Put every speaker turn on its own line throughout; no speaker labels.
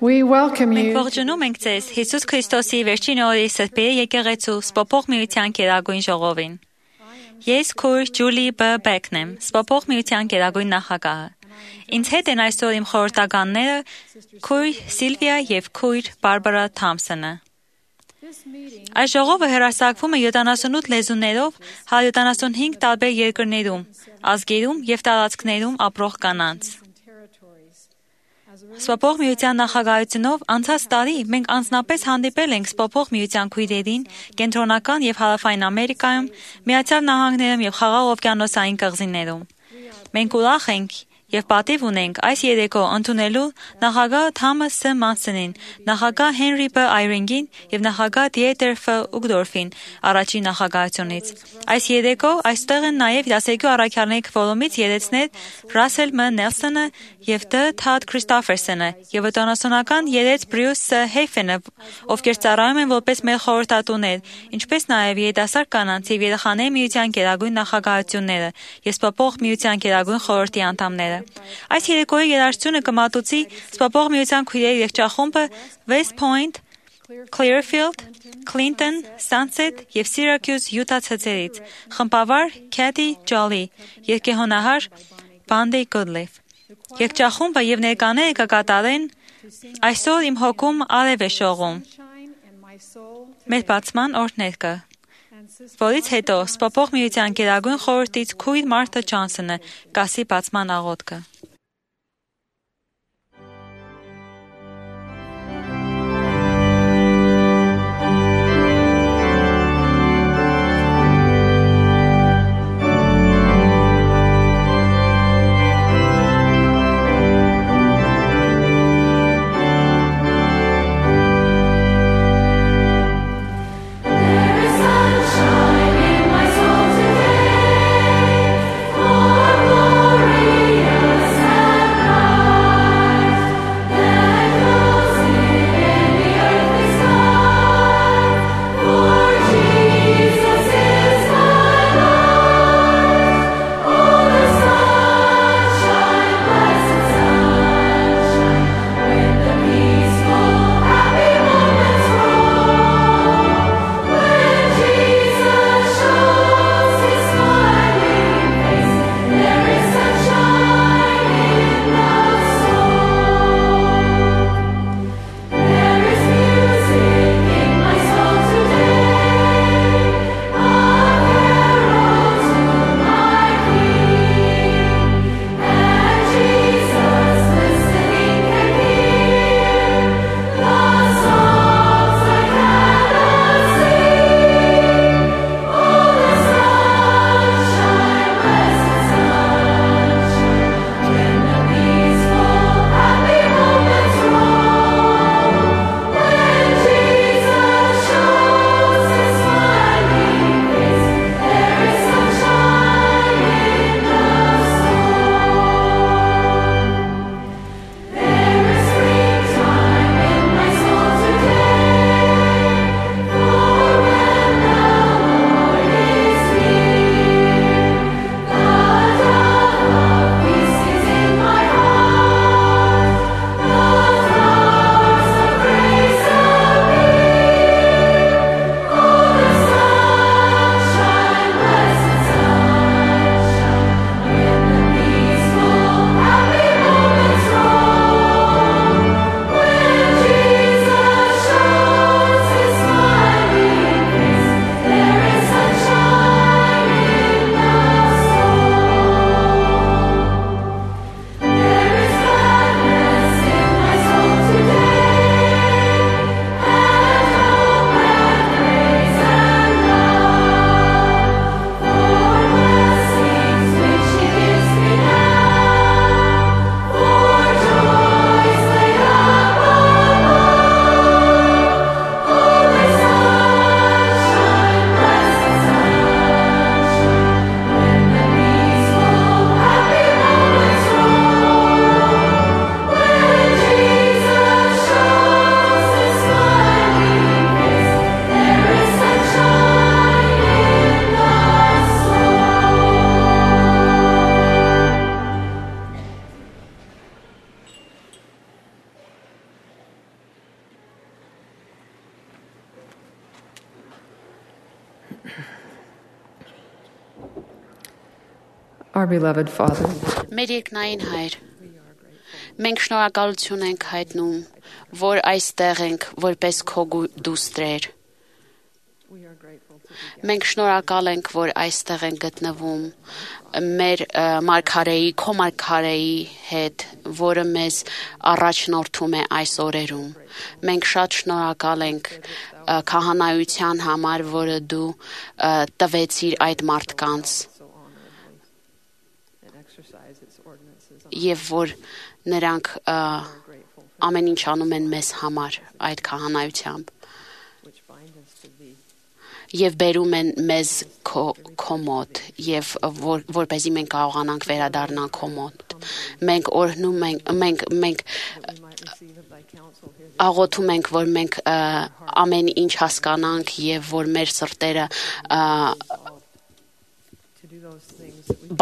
We welcome
Մենք
you
ողջունում ենք ձեզ Հիսուս Քրիստոսի վերջին օրի սրբերի եկեղեցու Սպոփող միության գերագույն ժողովին։ Ես քույր Ջուլի B. Բեքն եմ, Սպոփող միության գերագույն նախագահը։ Ինձ հետ են այսօր իմ խորհրդականները քույր Սիլվիա եւ քույր Բարբարա Թամսոնը։ Այս ժողովը հեռարձակվում է 78 լեզուներով 175 տարբեր երկրներում, ազգերում եւ տարածքներում ապրող կանանց։ Սպոփող միության նախագահությունով անցած տարի մենք անձնապես հանդիպել ենք Սպոփող միության քույրերին Կենտրոնական եւ Հարավային Ամերիկայում, Միացյալ Նահանգներում եւ Խաղաղ օվկիանոսային կղզիներում։ Մենք ուրախ ենք եւ պատիվ ունենք այս երեկո ընդունելու նախագահ Թամաս Ս. Մանսոնին, նախագահ Հենրի B. Այրինգին եւ նախագահ Դիետեր Ֆ. Ուգդորֆին առաջին նախագահությունից։ Այս երեկո այստեղ են նաեւ դասերգու առաքյալների քվորումից երեցներ Ռասել M. Նելսոնը եւ Դ. Թադ Քրիստոֆերսոնը եւ օտանասոնական երեց Բրյուս Ս. Հեյֆենը, ովքեր ծառայում են որպես մեր խորհրդատուներ, ինչպես նաեւ երիտասարդ կանանց եւ երեխաների միության գերագույն նախագահությունները եւ Սպոփող միության գերագույն խորհրդի անդամները։ Այս երեկոյի երաժշտությունը կմատուցի Սպոփող միության քույրերի երգչախումբը West Point, Clearfield, Clinton, Sunset եւ Syracuse Utah ցեղերից, խմբավար Kathy Jolly, երգեհոնահար Bandy Goodliff։ Երգչախումբը եւ ներկաները կկատարեն Այսօր իմ հոգում արև է շողում։ Մեր բացման օրհներգը, որից հետո Սպոփող միության գերագույն խորհրդից քույր Մարթա Ջոնսոնը կասի բացման աղոթքը։
Glorious
Our beloved Father,
Մեր երկնային Հայր, մենք շնորհակալություն ենք հայտնում, որ այստեղ ենք որպես քո դուստրեր։ Մենք շնորհակալ ենք, որ այստեղ ենք գտնվում մեր մարգարեի, քո մարգարեի հետ, որը մեզ առաջնորդում է այս օրերում։ Մենք շատ շնորհակալ ենք քահանայության համար, որը դու տվեցիր այդ մարդկանց, եւ որ նրանք ամեն ինչ անում են մեզ համար այդ քահանայությամբ եւ բերում են մեզ քո մոտ եւ որպեսզի մենք կարողանանք վերադառնալ քո մոտ։ Մենք օրհնում ենք, աղոթում ենք, որ մենք ամեն ինչ հասկանանք եւ որ մեր սրտերը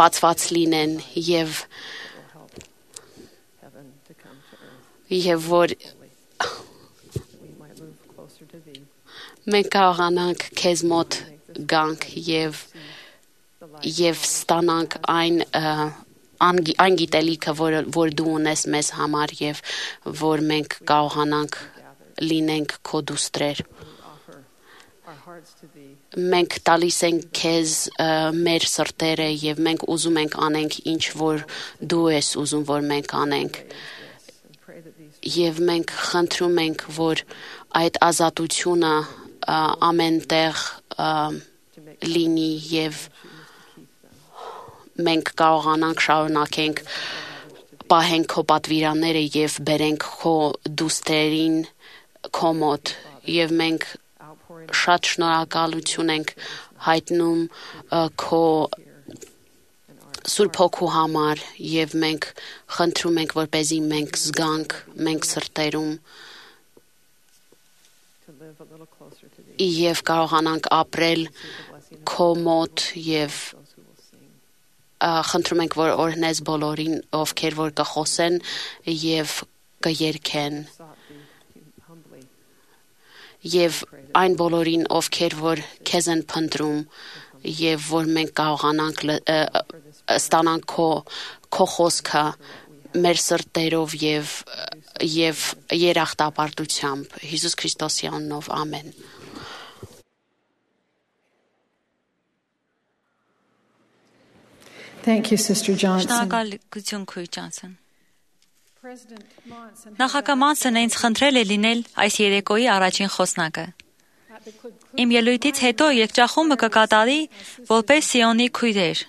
բացված լինեն եւ որ մենք կարողանանք քեզ մոտ գանք եւ ստանանք այն գիտելիքը, որ դու ունես մեզ համար եւ որ մենք կարողանանք լինենք քո դուստրեր։ Մենք տալիս ենք քեզ մեր սրտերը եւ մենք ուզում ենք անենք ինչ որ դու ես ուզում որ մենք անենք եւ մենք խնդրում ենք որ այդ ազատությունը ամենտեղ լինի եւ մենք կարողանանք շարունակենք պահենք քո պատվիրանները եւ բերենք քո դուստրերին քո մոտ եւ մենք շատ շնորհակալություն ենք հայտնում քո Սուրբ Հոգու համար եւ մենք խնդրում ենք որպեսզի մենք զգանք մենք սրտերում եւ կարողանանք ապրել քո մոտ եւ խնդրում ենք որ օրհնես բոլորին ովքեր որ կխոսեն եւ կերքեն եւ այն բոլորին ովքեր որ քեզ են փնտրում եւ որ մենք կարողանանք ստանանք քո խոսքը մեր սրտերով եւ երախտապարտությամբ Հիսուս Քրիստոսի անունով ամեն
Thank you, Sister Johnson.
Շնորհակալություն Քույր Ջոնսոն։ Նախագահ Մանսոնը ինձ խնդրել է լինել այս երեկոյի առաջին խոսնակը։ Իմ ելույթից հետո երգչախումբը կկատարի որպես Սիոնի քույրեր։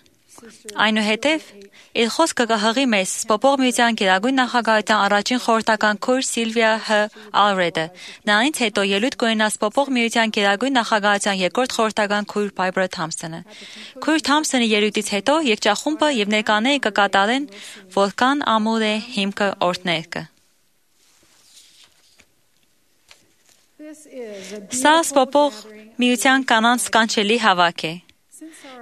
Այնուհետև իր խոսքը կհղի մեզ Սպոպող միության գերագույն նախագահության առաջին խորհրդական քույր Սիլվիա Հ. Ալրեդը։ Նրանից հետո ելույթ կունենա Սպոպող միության գերագույն նախագահության երկրորդ խորհրդական քույր Բայբրա Թամփսոնը։ Քույր Թամփսոնի ելույթից հետո երգչախումբը եւ ներկաները կկատարեն Որքան ամուր է հիմքը օրհներկը։ Սա Սպոպող միության կանանց կանչելի հավաք է։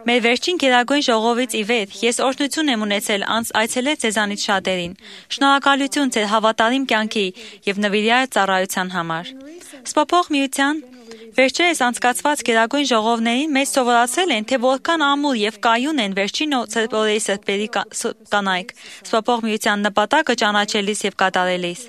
Մեր վերջին գերագույն ժողովից ի վեր ես օրհնություն եմ ունեցել այցելել ձեզանից շատերին։ Շնորհակալություն ձեր հավատարիմ կյանքի եւ նվիրյալ ծառայության համար։ Սպոպող միության վերջերս անցկացված գերագույն ժողովներին մեզ սովորացել են, թե որքան ամուր եւ կայուն են վերջին օրերի սրբերի կանայք Սպոպող միության նպատակը ճանաչելիս եւ կատարելիս։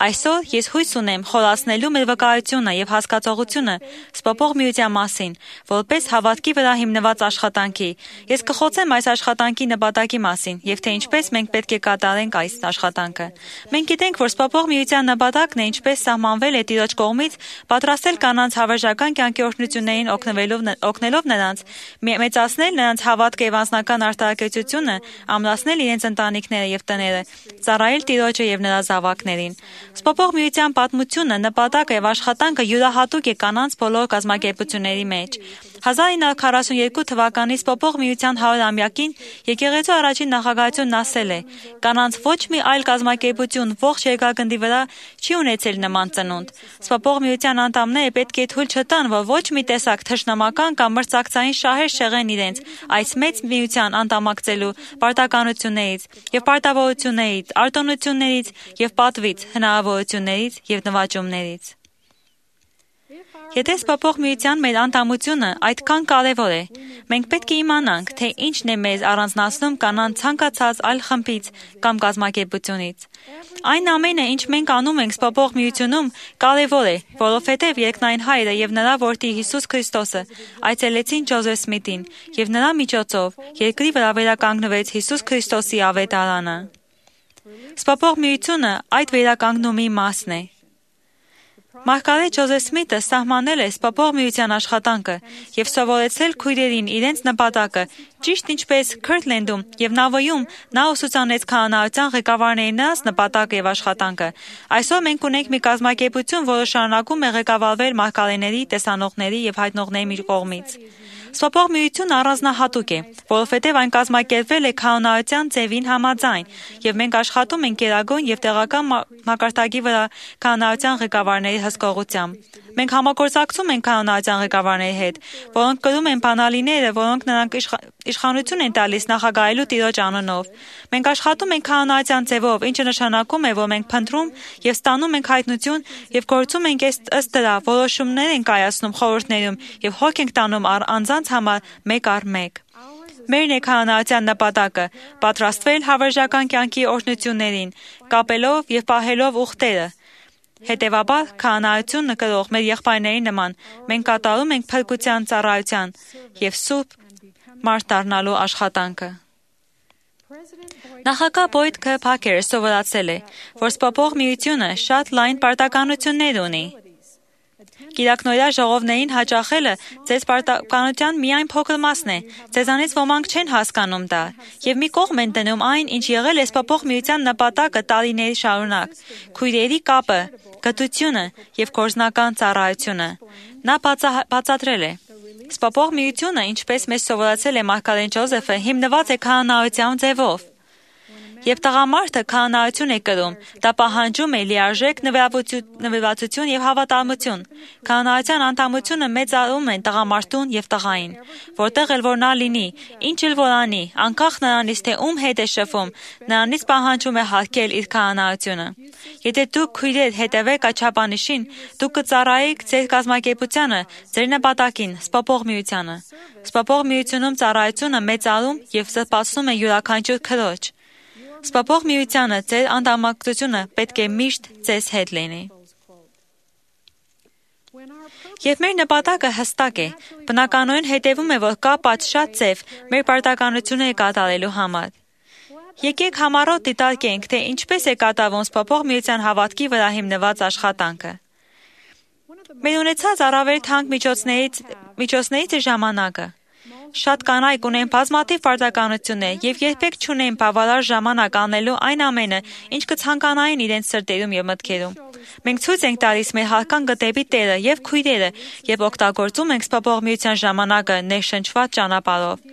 Այսօր ես հույս ունեմ խորացնելու մեր վկայությունը եւ հասկացողությունը Սպոպող միության մասին, որպես հավատքի վրա հիմնված աշխատանքի։ Ես կխոցեմ այս աշխատանքի նպատակի մասին եւ թե ինչպես մենք պետք է կատարենք այս աշխատանքը։ Մենք գիտենք, որ Սպոպող միության նպատակն է ինչպես սահմանվել է Տիրոջ կողմից պատրաստել կանանց հավերժական կյանքի օրհնություններին օգնելով նրանց, մեծացնել նրանց հավատքը եւ անձնական արտահայտությունը, ամրացնել իրենց ընտանիքները եւ տները, ծառայել Տիրոջը եւ նրա զավակներին։ Սպոպող միության պատմությունը, նպատակը եւ աշխատանքը յուրահատուկ է կանանց բոլոր կազմակերպությունների մեջ։ 1942 թվականի Սպոպող միության 100-ամյակին եկեղեցու առաջին նախագահությունն ասել է. «Կանանց ոչ մի այլ կազմակերպություն ողջ երկրագնդի վրա չի ունեցել նման ծնունդ։ Սպոպող միության անդամները պետք է թույլ չտան, որ ոչ մի տեսակ թշնամական կամ մրցակցային շահեր շեղեն իրենց այս մեծ միության անդամակցելու պարտականություններից եւ պարտավորություններից, արտոնություններից եւ պատվից, հնարավորություններից եւ նվաճումներից»։ Եթե սպասող միության մեր անդամությունը այդքան կարևոր է, մենք պետք է իմանանք, թե ինչն է մեզ առանձնացնում կանանց ցանկացած այլ խմբից կամ կազմակերպությունից։ Այն ամենը, ինչ մենք անում ենք սպասող միությունում, կարևոր է, որովհետև երկնային Հայրը եւ նրա որդի Հիսուս Քրիստոսը այցելեցին Ջոզեֆ Սմիթին եւ նրա միջոցով երկրի վրա վերականգնվեց Հիսուս Քրիստոսի ավետարանը։ Սպասող միությունը այդ վերականգնումի մասն է։ Մարգարետ Ջոզեֆ Սմիթը սահմանել է սպասող միության աշխատանքը եւ սովորեցրել քույրերին իրենց նպատակը, ճիշտ ինչպես Քըրթլենդում եւ Նավոյում նա ուսուցանեց քահանայության ղեկավարների նրանց նպատակը եւ աշխատանքը։ Այսօր մենք ունենք մի կազմակերպություն, որը շարունակում է ղեկավարվել մարգարեների, տեսանողների եւ հայտնողների կողմից։ Սպասող միությունը առանձնահատուկ է, որովհետև այն կազմակերպվել է քահանայության ձևին համաձայն, եւ մենք աշխատում ենք գերագույն եւ տեղական մակարդակի վրա քահանայության ղեկավարների հսկողությամբ։ Մենք համագործակցում ենք քահանայության ղեկավարների հետ, որոնք կրում են բանալիները, որոնք նրանք իշխանություն են տալիս նախագահելու տիրոջ անունով։ Մենք աշխատում ենք քահանայության ձևով, ինչը նշանակում է, որ մենք փնտրում եւ ստանում ենք հայտնություն եւ գործում ենք ըստ դրա, որոշումներ ենք կայացնում խորհուրդներում եւ հոգ ենք տանում անձանց համար մեկ առ մեկ։ Մերն է քահանայության նպատակը՝ պատրաստվել հավերժական կյանքի օրհնություններին, կապելով եւ պահելով ուխտերը։ Հետևաբար, քահանայությունը կրող մեր եղբայրների նման, մենք կատարում ենք փրկության ծառայության եւ սուրբ մարդ դառնալու աշխատանքը։ Նախագահ Բոյդ Ք. Փաքերը սովորացել է, որ սպասող միությունը շատ լայն պարտականություններ ունի։ Կիրակնօրյա ժողովներին հաճախելը ձեզ պարտականության միայն փոքր մասն է, ձեզանից ոմանք չեն հասկանում դա, եւ մի կողմ են դնում այն, ինչ եղել է սպասող միության նպատակը տարիների շարունակ, քույրերի կապը, գթությունը եւ գործնական ծառայությունը։ Նա բացատրել է. Սպասող միությունը, ինչպես մեզ սովորացել է մարգարետ Ջոզեֆը, հիմնված է քահանայության ձևով։ Եվ տղամարդը քահանայություն է կրում, դա պահանջում է լիարժեք նվիրվածություն եւ հավատարմություն։ Քահանայության անդամությունը մեծարում են տղամարդուն եւ տղային, որտեղ էլ որ նա լինի, ինչ էլ որ անի, անկախ նրանից թե ում հետ է շփվում, նրանից պահանջում է հարգել իր քահանայությունը։ Եթե դուք քույրեր հետևեք այդ չափանիշին, դուք կծառայեք ձեր կազմակերպությանը, ձեր նպատակին, սպասող միությանը։ Սպասող միությունում ծառայությունը մեծարում եւ զսպացնում է յուրաքանչյուր քրոջ։ Սպասող միությանը ձեր անդամակցությունը պետք է միշտ ձեզ հետ լինի։ Եվ մեր նպատակը հստակ է, բնականորեն հետևում է, որ կա պատշաճ ձև մեր պարտականությունները կատարելու համար։ Եկեք համառոտ դիտարկենք, թե ինչպես է կատարվում սպասող միության հավատքի վրա հիմնված աշխատանքը։ Մեր ունեցած առավել թանկ միջոցներից է ժամանակը։ Շատ կանայք ունեն բազմաթիվ պարտականություններ եւ երբեք չունեն բավարար ժամանակ անելու այն ամենը, ինչ կցանկանային իրենց սրտերում եւ մտքերում։ Մենք ցույց ենք տալիս մեր հարկան գտեպի Տերը եւ քույրերը եւ օգտագործում ենք սպասող միության ժամանակը ներշնչված ճանապարհով։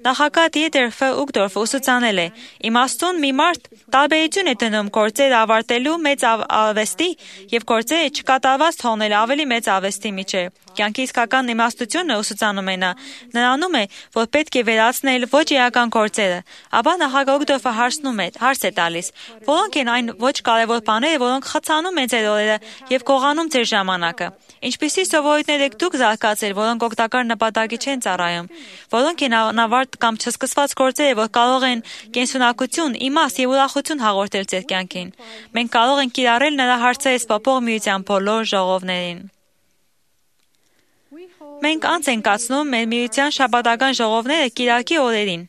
Նախագահ Դիետեր Ֆ. Ուգդորֆը ուսուցանել է. իմաստուն մի մարդ տարբերություն է դնում գործերը ավարտելու մեծ արվեստի եւ գործերը չկատարված թողնել ավելի մեծ արվեստի միջեւ։ Կյանքի իսկական իմաստությունը ուսուցանում է նա, նրանում է, որ պետք է վերացնել ոչ իրական գործերը, ապա նախագահ Ուգդորֆը հարց է տալիս, որոնք են այն ոչ կարևոր բաները, որոնք խցանում են ձեր օրերը եւ գողանում ձեր ժամանակը։ Ինչպիսի սովորույթներ եք դուք զարգացել, որոնք օգտակար նպատակի չեն ծառայում, որոնք են անավարտ կամ չսկսված գործերը, որ կարող են կենսունակություն, իմաստ եւ ուրախություն հաղորդել ձեր կյանքին։ Մենք կարող ենք կիրառել նրա հարցերը սպասող միության բոլոր ժողովներին։ Մենք անց ենք կացնում մեր միության շաբաթական ժողովները կիրակի օրերին,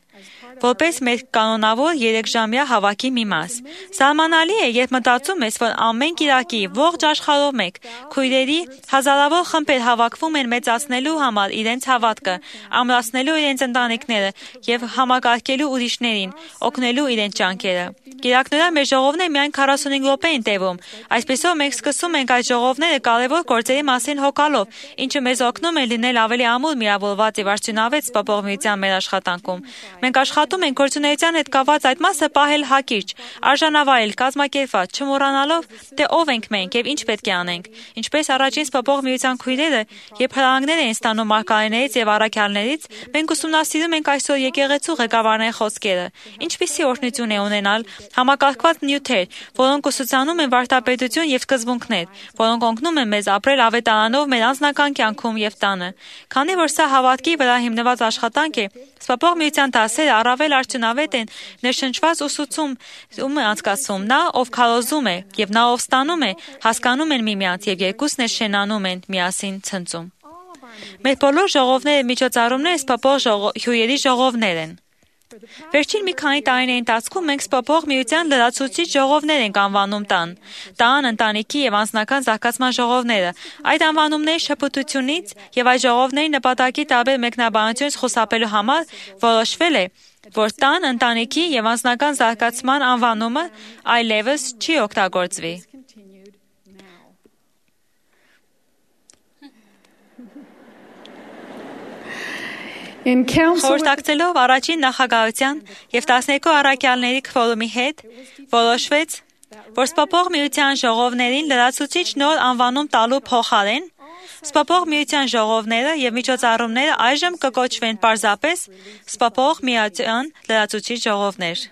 որպես մեր կանոնավոր 3-ժամյա հավաքի մի մաս։ Սահմանալի է, երբ մտածում ես, որ ամեն կիրակի ողջ աշխարհով մեկ քույրերի հազարավոր խմբեր հավաքվում են մեծացնելու համար իրենց հավատքը, ամրացնելու իրենց ընտանիքները եւ համակարգելու ուրիշներին, օգնելու իրենց ջանքերը։ Կիրակնօրյա մեր ժողովները միայն 45 րոպե են տևում։ Այսպեսով մենք սկսում ենք այդ ժողովները կարևոր գործերի մասին հոգալով, ինչը մեզ օգնում է լինել ավելի ամուր միավորված եւ արդյունավետ սպասող միության մեր աշխատանքում։ Մենք աշխատում ենք գործունեության հետ կապված այդ մասը պահել հակիրճ, արժանավայել, կազմակերպված, չմոռանալով, թե ով ենք մենք եւ ինչ պետք է անենք։ Ինչպես առաջին սփոփող միության քույրերը, երբ հրահանգներ էին ստանում մարգարեներից եւ առաքյալներից, մենք ուսումնասիրում ենք այսօր եկեղեցու ղեկավարների խոսքերը։ Ինչպիսի օրհնություն է ունենալ համակարգված նյութեր, որոնք ուսուցանում են վարդապետություն եւ սկզբունքներ, որոնք օգնում են մեզ ապրել ավետարանով մեր անձնական կյանքում եւ տանը։ Քանի որ սա հավատքի վրա հիմնված աշխատանք է, սփոփող միության դասերը առավել արդյունավետ են ներշնչված ուսուցում է անցկացում նա, ով քարոզում է, եւ նա, ով ստանում է, հասկանում են միմյանց եւ երկուսն էլ շենանում են միասին ցնծում։ Մեր բոլոր ժողովները միջոցառումները սփոփող հյուրերի ժողովներ են։ Վերջին մի քանի տարիների ընթացքում մենք սփոփող միության լրացուցիչ ժողովներ ենք անվանում տան, ընտանիքի եւ անձնական զարգացման ժողովները։ Այդ անվանումների շփոթությունից եւ այդ ժողովների նպատակի տարբեր մեկնաբանությունից խուսափելու համար որոշվել է, որ տան, ընտանիքի եւ անձնական զարգացման անվանումը այլևս չի օգտագործվի։ Խորհրդակցելով առաջին նախագահության եւ 12 առաքյալների քվորումի հետ որոշվեց, որ սփոփող միության ժողովներին լրացուցիչ նոր անվանում տալու փոխարեն սփոփող միության ժողովները եւ միջոցառումները այժմ կկոչվեն պարզապես սփոփող միության լրացուցիչ ժողովներ։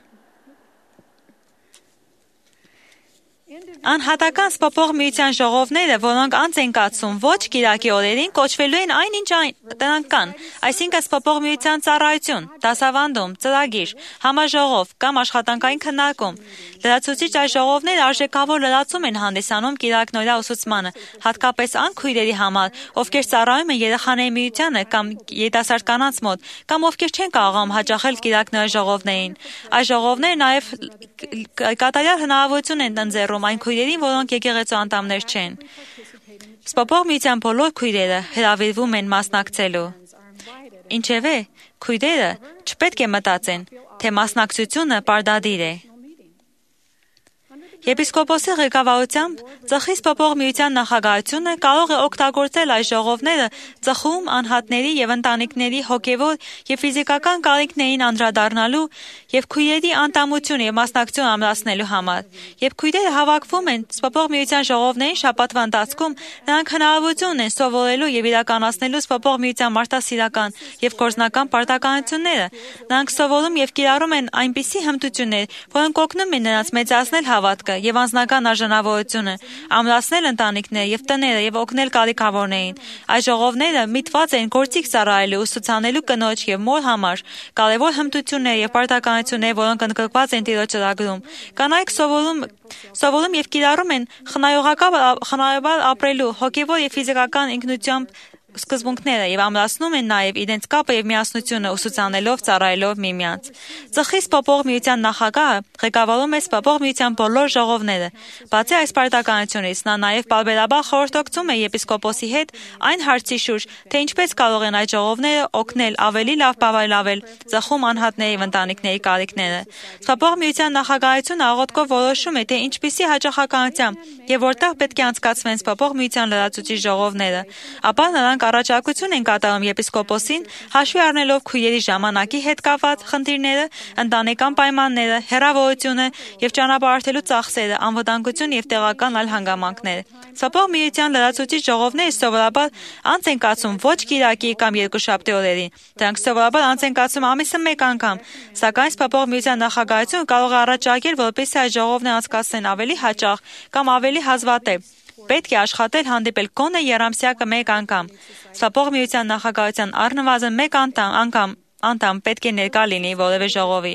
Անհատական սփոփող միության ժողովները, որոնք անց են կացում ոչ կիրակի օրերին, կոչվելու են այնինչ տնական կան, այսինքն սփոփող միության ծառայություն, դասավանդում, ծրագիր, համաժողով կամ աշխատանքային քննարկում։ Լրացուցիչ այս ժողովները արժեքավոր լրացում են հանդիսանում կիրակնօրյա ուսուցմանը, հատկապես այն քույրերի համար, ովքեր ծառայում են երեխաների միությանը կամ երիտասարդ կանանց մոտ, կամ ովքեր չեն կարողանում հաճախել կիրակնօրյա ժողովներին։ Այս ժողովները նաև կատարյալ հնարավորություն են ընձեռում այն քույրերին, որոնք եկեղեցու անդամներ չեն։ Սփոփող միության բոլոր քույրերը հրավիրվում են մասնակցելու։ Ինչևէ, քույրերը չպետք է մտածեն, թե մասնակցությունը պարտադիր է։ Եպիսկոպոսի ղեկավարությամբ ծխի սփոփող միության նախագահությունը կարող է օգտագործել այս ժողովները ծխում անհատների եւ ընտանիքների հոգեվոր եւ ֆիզիկական կարիքներին անդրադառնալու եւ քույրերի անդամություն եւ մասնակցություն ամրացնելու համար։ Երբ քույրերը հավաքվում են սփոփող միության ժողովներին շաբաթվա ընթացքում, նրանք հնարավորություն ունեն սովորելու եւ իրականացնելու սփոփող միության մարդասիրական եւ գործնական պարտականությունները։ Նրանք սովորում եւ կիրառում են այնպիսի հմտություններ, որոնք օգնում են նրանց մեծացնել հավատքը եւ անձնական արժանավորությունը, ամրացնել ընտանիքները եւ տները եւ օգնել կարիքավորներին։ Այս ժողովները միտված են գործիք ծառայելու, ուսուցանելու կնոջ եւ մոր համար, կարեւոր հմտություններ եւ պարտականություններ, որոնք ընդգրկված են Տիրոջ ծրագրում։ Կանայք սովորում եւ կիրառում են խնայողաբար ապրելու, հոգեվոր եւ ֆիզիկական ինքնությամբ սկզբունքները եւ ամրացնում են նաեւ իրենց կապը եւ միասնությունը ուսուցանելով, ծառայելով միմյանց։ Ծխի սփոփող միության նախագահը ղեկավարում է սփոփող միության բոլոր ժողովները։ Բացի այս պարտականությունից, նա նաեւ պարբերաբար խորհրդակցում է եպիսկոպոսի հետ այն հարցի շուրջ, թե ինչպես կարող են այդ ժողովները օգնել ավելի լավ բավարարել ծխում անհատների եւ ընտանիքների կարիքները։ Սփոփող միության նախագահությունը աղոթքով որոշում է, թե ինչպիսի հաջողականությամբ եւ որտեղ պետք է անցկացվեն սփոփող միության լրացուցիչ ժողովները։ Ապա նրանք առաջարկություն են կատարում եպիսկոպոսին, հաշվի առնելով քույրերի ժամանակի հետ կապված խնդիրները, ընտանեկան պայմանները, հեռավորությունը եւ ճանապարհորդելու ծախսերը, անվտանգություն եւ տեղական այլ հանգամանքներ։ Սփոփող միության լրացուցիչ ժողովները սովորաբար անց են կացում ոչ կիրակի կամ երկուշաբթի օրերին։ Դրանք սովորաբար անց են կացում ամիսը մեկ անգամ, սակայն սփոփող միության նախագահությունը կարող է առաջարկել, որպեսզի այս ժողովները անցկացնեն ավելի հաճախ կամ ավելի հազվադեպ։ Պետք է աշխատել հանդիպել գոնե եռամսյակը մեկ անգամ։ Սփոփող միության նախագահության առնվազն մեկ անդամ պետք է ներկա լինի որևէ ժողովի։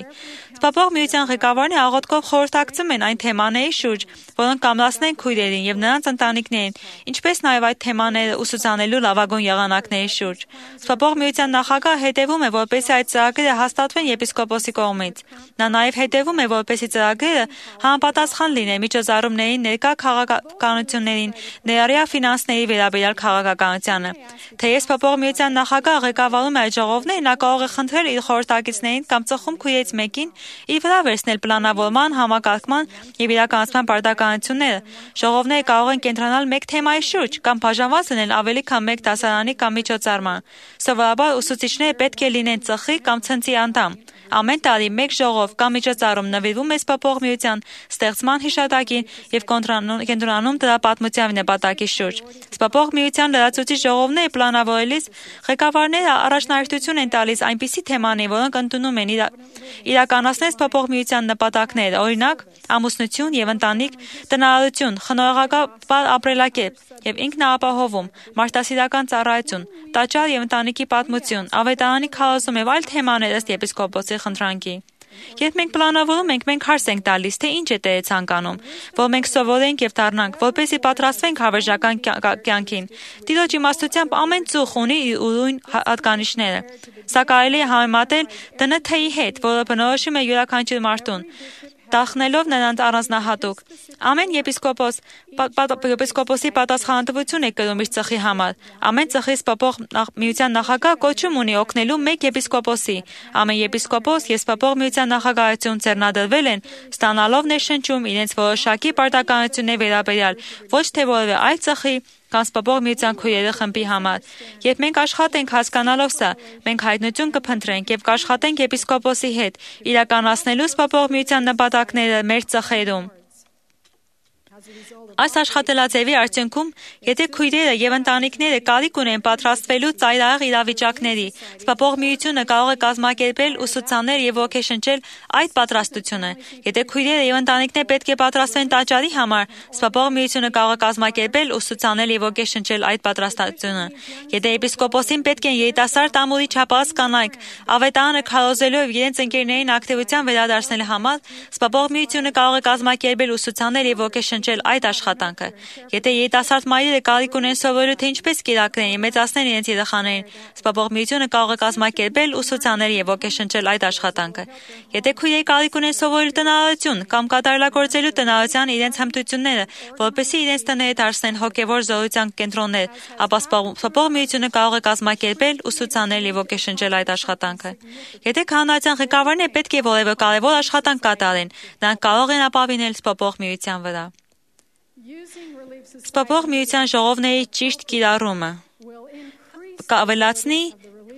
Սփոփող միության ղեկավարները աղոթքով խորհրդակցում են այն թեմաների շուրջ, որոնք կամրացնեն քույրերին եւ նրանց ընտանիքներին, ինչպես նաեւ այդ թեմաները ուսուցանելու լավագույն եղանակների շուրջ։ Սփոփող միության նախագահը հետևում է, որպեսզի այդ ծրագրերը հաստատվեն եպիսկոպոսի կողմից։ Նա նաեւ հետևում է, որպեսզի ծրագրերը համապատասխան լինեն միջոցառումների ներկա քաղաքականություններին, ներառյալ ֆինանսների վերաբերյալ քաղաքականությանը։ Թեև սփոփող միության նախագահը ղեկավարում է այդ ժողովները, նա կարող է խնդրել իր խորհրդակիցներին կամ ծխում քույրերից մեկին իր վրա վերցնել պլանավորման, համակարգման եւ իրականացման պարտականությունները։ Ժողովները կարող են կենտրոնալ մեկ թեմայի շուրջ կամ բաժանված լինել ավելի քան մեկ դասարանի կամ միջոցառման։ Սովորաբար ուսուցիչները պետք է լինեն ծխի կամ ցնցի անդամ։ Ամեն տարի մեկ ժողով կամ միջոցառում նվիրվում է Սպապող միության ստեղծման հիշատակին եւ կենտրոնանում դրա պատմության նպատակի շուրջ։ Սպապող միության լրացուցիչ ժողովները պլանավորելիս ղեկավարները առաջնահերթություն են տալիս այնպիսի թեմաների, որոնք ընդունում են իրականացնել Սպապող միության նպատակները, օրինակ ամուսնություն եւ ընտանիք, տնարարություն, խնայողական ապրելակերպ եւ ինքնաապահովում, մարդասիրական ծառայություն, տաճար եւ ընտանիքի պատմություն, ավետարանի քարոզում եւ այլ թեմաներ ըստ եպիսկոպոսի խնդրանքի։ Երբ մենք պլանավորում ենք, մենք հարց ենք տալիս, թե ինչ է Տերը ցանկանում, որ մենք սովորենք եւ դառնանք, որպեսզի պատրաստվենք հավերժական կյանքին։ Տիրոջ իմաստությամբ ամեն ծուխ ունի իր ուրույն հատկանիշները։ Սա կարելի է համեմատել ԴՆԹ-ի հետ, որը բնորոշում է յուրաքանչյուր մարդուն, տախնելով նրանց առանձնահատուկ։ Ամեն եպիսկոպոսի պատասխանատվություն է կրում իր ծխի համար։ Ամեն ծխի Սպապող միության նախագահ կոչում ունի օգնելու մեկ եպիսկոպոսի։ Ամեն եպիսկոպոս եւ Սպապող միության նախագահություն ձեռնադրվել են ստանալով ներշնչում իրենց որոշակի պարտականությունների վերաբերյալ ոչ թե որևէ այլ ծխի կամ Սպապող միության քույրերի խմբի համար։ Երբ մենք աշխատենք հասկանալով սա, մենք հայտնություն կփնտրենք եւ կաշխատենք եպիսկոպոսի հետ իրականացնելու Սպապող միության նպատակները մեր ծխերում։ Այս աշխատելաձևի արդյունքում, եթե քույրերը եւ ընտանիքները կարիք ունեն պատրաստվելու ծայրահեղ իրավիճակների, Սպապող միությունը կարող է կազմակերպել ուսուցանել եւ ոգեշնչել այդ պատրաստությունը։ Եթե քույրերը եւ ընտանիքները պետք է պատրաստվեն տաճարի համար, Սպապող միությունը կարող է կազմակերպել ուսուցանել եւ ոգեշնչել այդ պատրաստությունը։ Եթե եպիսկոպոսին պետք են երիտասարդ ամուրի չափած կանայք ավետարանը քարոզելու եւ իրենց ընկերներին ակտիվության վերադարձնելու համար, Սպապող միությունը կարող է կազմակերպել ուսուցանել եւ ոգեշնչել այդ աշխատանքը։ Եթե երիտասարդ մայրերը կարիք ունեն սովորելու թե ինչպես կիրակրեն եւ մեծացնեն իրենց երեխաներին, Սպապող միությունը կարող է կազմակերպել ուսուցանել եւ ոգեշնչել այդ աշխատանքը։ Եթե քույրերը կարիք ունեն սովորելու տնարարություն կամ կատարելագործելու տնարարության իրենց հմտությունները, որպեսզի իրենց տները դարձնեն հոգեվոր զորության կենտրոններ, ապա Սպապող միությունը կարող է կազմակերպել ուսուցանել եւ ոգեշնչել այդ աշխատանքը։ Եթե քահանայության ղեկավարները պետք է որևէ կարևոր աշխատանք կատարեն, նրանք կարող են ապավինել Սպապող միության վրա։ Սպապող միության ժողովների ճիշտ կիրառումը կավելացնի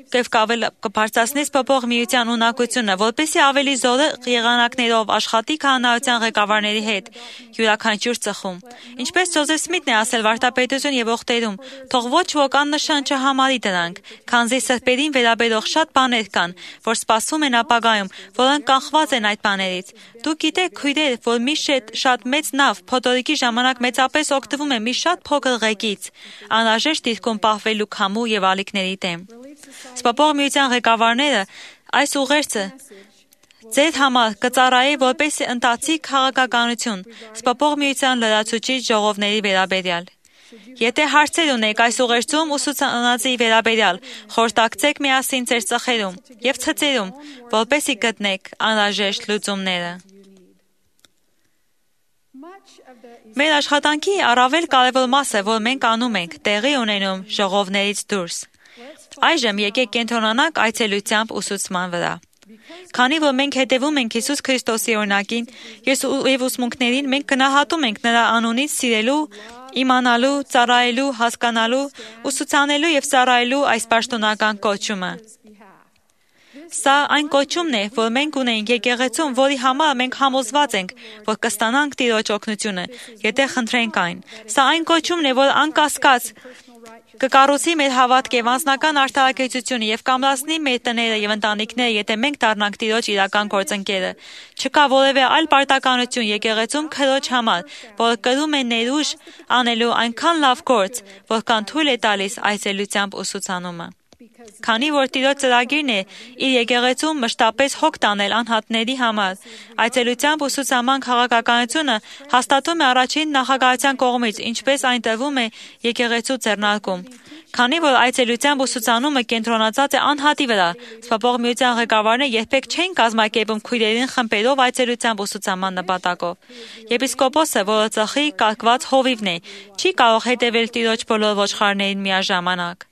եւ կբարձրացնի Սպապող միության ունակությունը, որպեսզի ավելի զորեղ եղանակներով աշխատի քահանայության ղեկավարների հետ յուրաքանչյուր ծխում։ Ինչպես Ջոզեֆ Սմիթն է ասել վարդապետություն եւ օգտերում, թող ոչ ոք աննշան չհամարի դրանք, քանզի սրբերին վերաբերող շատ բաներ կան, որ սպասում են ապագայում, որոնք կանխված են այդ բաներից։ Դուք գիտեք, քույրեր, որ մի շատ մեծ նավ փոթորիկի ժամանակ մեծապես օգտվում է մի շատ փոքր ղեկից, անհրաժեշտ դիրքում պահվելու քամու եւ ալիքների դեմ։ Սպապող միության ղեկավարները այս ուղերձը ձեր համար կծառայի որպես ընթացիկ քաղաքականություն Սպապող միության լրացուցիչ ժողովների վերաբերյալ։ Եթե հարցեր ունեք այս ուղերձում ուսուցանածի վերաբերյալ, խորհրդակցեք միասին ձեր ծխերում եւ ցծերում, որպեսզի գտնեք անհրաժեշտ լուծումները։ Մեր աշխատանքի առավել կարևոր մասը, որ մենք անում ենք, տեղի ունենում ժողովներից դուրս։ Այժմ եկեք կենտրոնանանք այցելությամբ ուսուցման վրա։ Քանի որ մենք հետևում ենք Հիսուս Քրիստոսի օրինակին եւ ուսմունքներին, մենք գնահատում ենք նրա անունից սիրելու, իմանալու, ծառայելու, հասկանալու, ուսուցանելու եւ ծառայելու այս պաշտոնական կոչումը։ Սա այն կոչումն է, որ մենք ունենք եկեղեցում, որի համար մենք համոզված ենք, որ կստանանք Տիրոջ օգնությունը, եթե խնդրենք այն։ Սա այն կոչումն է, որ անկասկած կկառուցի մեր հավատք եւ անձնական արդարակեցությունը եւ կամրացնի մեր տները եւ ընտանիքները, եթե մենք դառնանք Տիրոջ իրական գործընկերը։ Չկա որևէ այլ պարտականություն եկեղեցում Քրոջ համար, որը կրում է ներուժ անելու այնքան լավ գործ, որքան թույլ է տալիս այցելությամբ ուսուցանումը։ Քանի որ Տիրոջ ծրագիրն է իր եկեղեցում մշտապես հոգ տանել անհատների համար, այցելությամբ ուսուցանման քաղաքականությունը հաստատում է առաջին նախագահության կողմից, ինչպես այն տրվում է եկեղեցու ձեռնարկում։ Քանի որ այցելությամբ ուսուցանումը կենտրոնացած է անհատի վրա, Սպապող միության ղեկավարները երբեք չեն կազմակերպում քույրերին խմբերով այցելությամբ ուսուցանման նպատակով։ Եպիսկոպոսը, որը ծխի կարգված հովիվն է, չի կարող հետևել Տիրոջ բոլոր ոչխարներին միաժամանակ։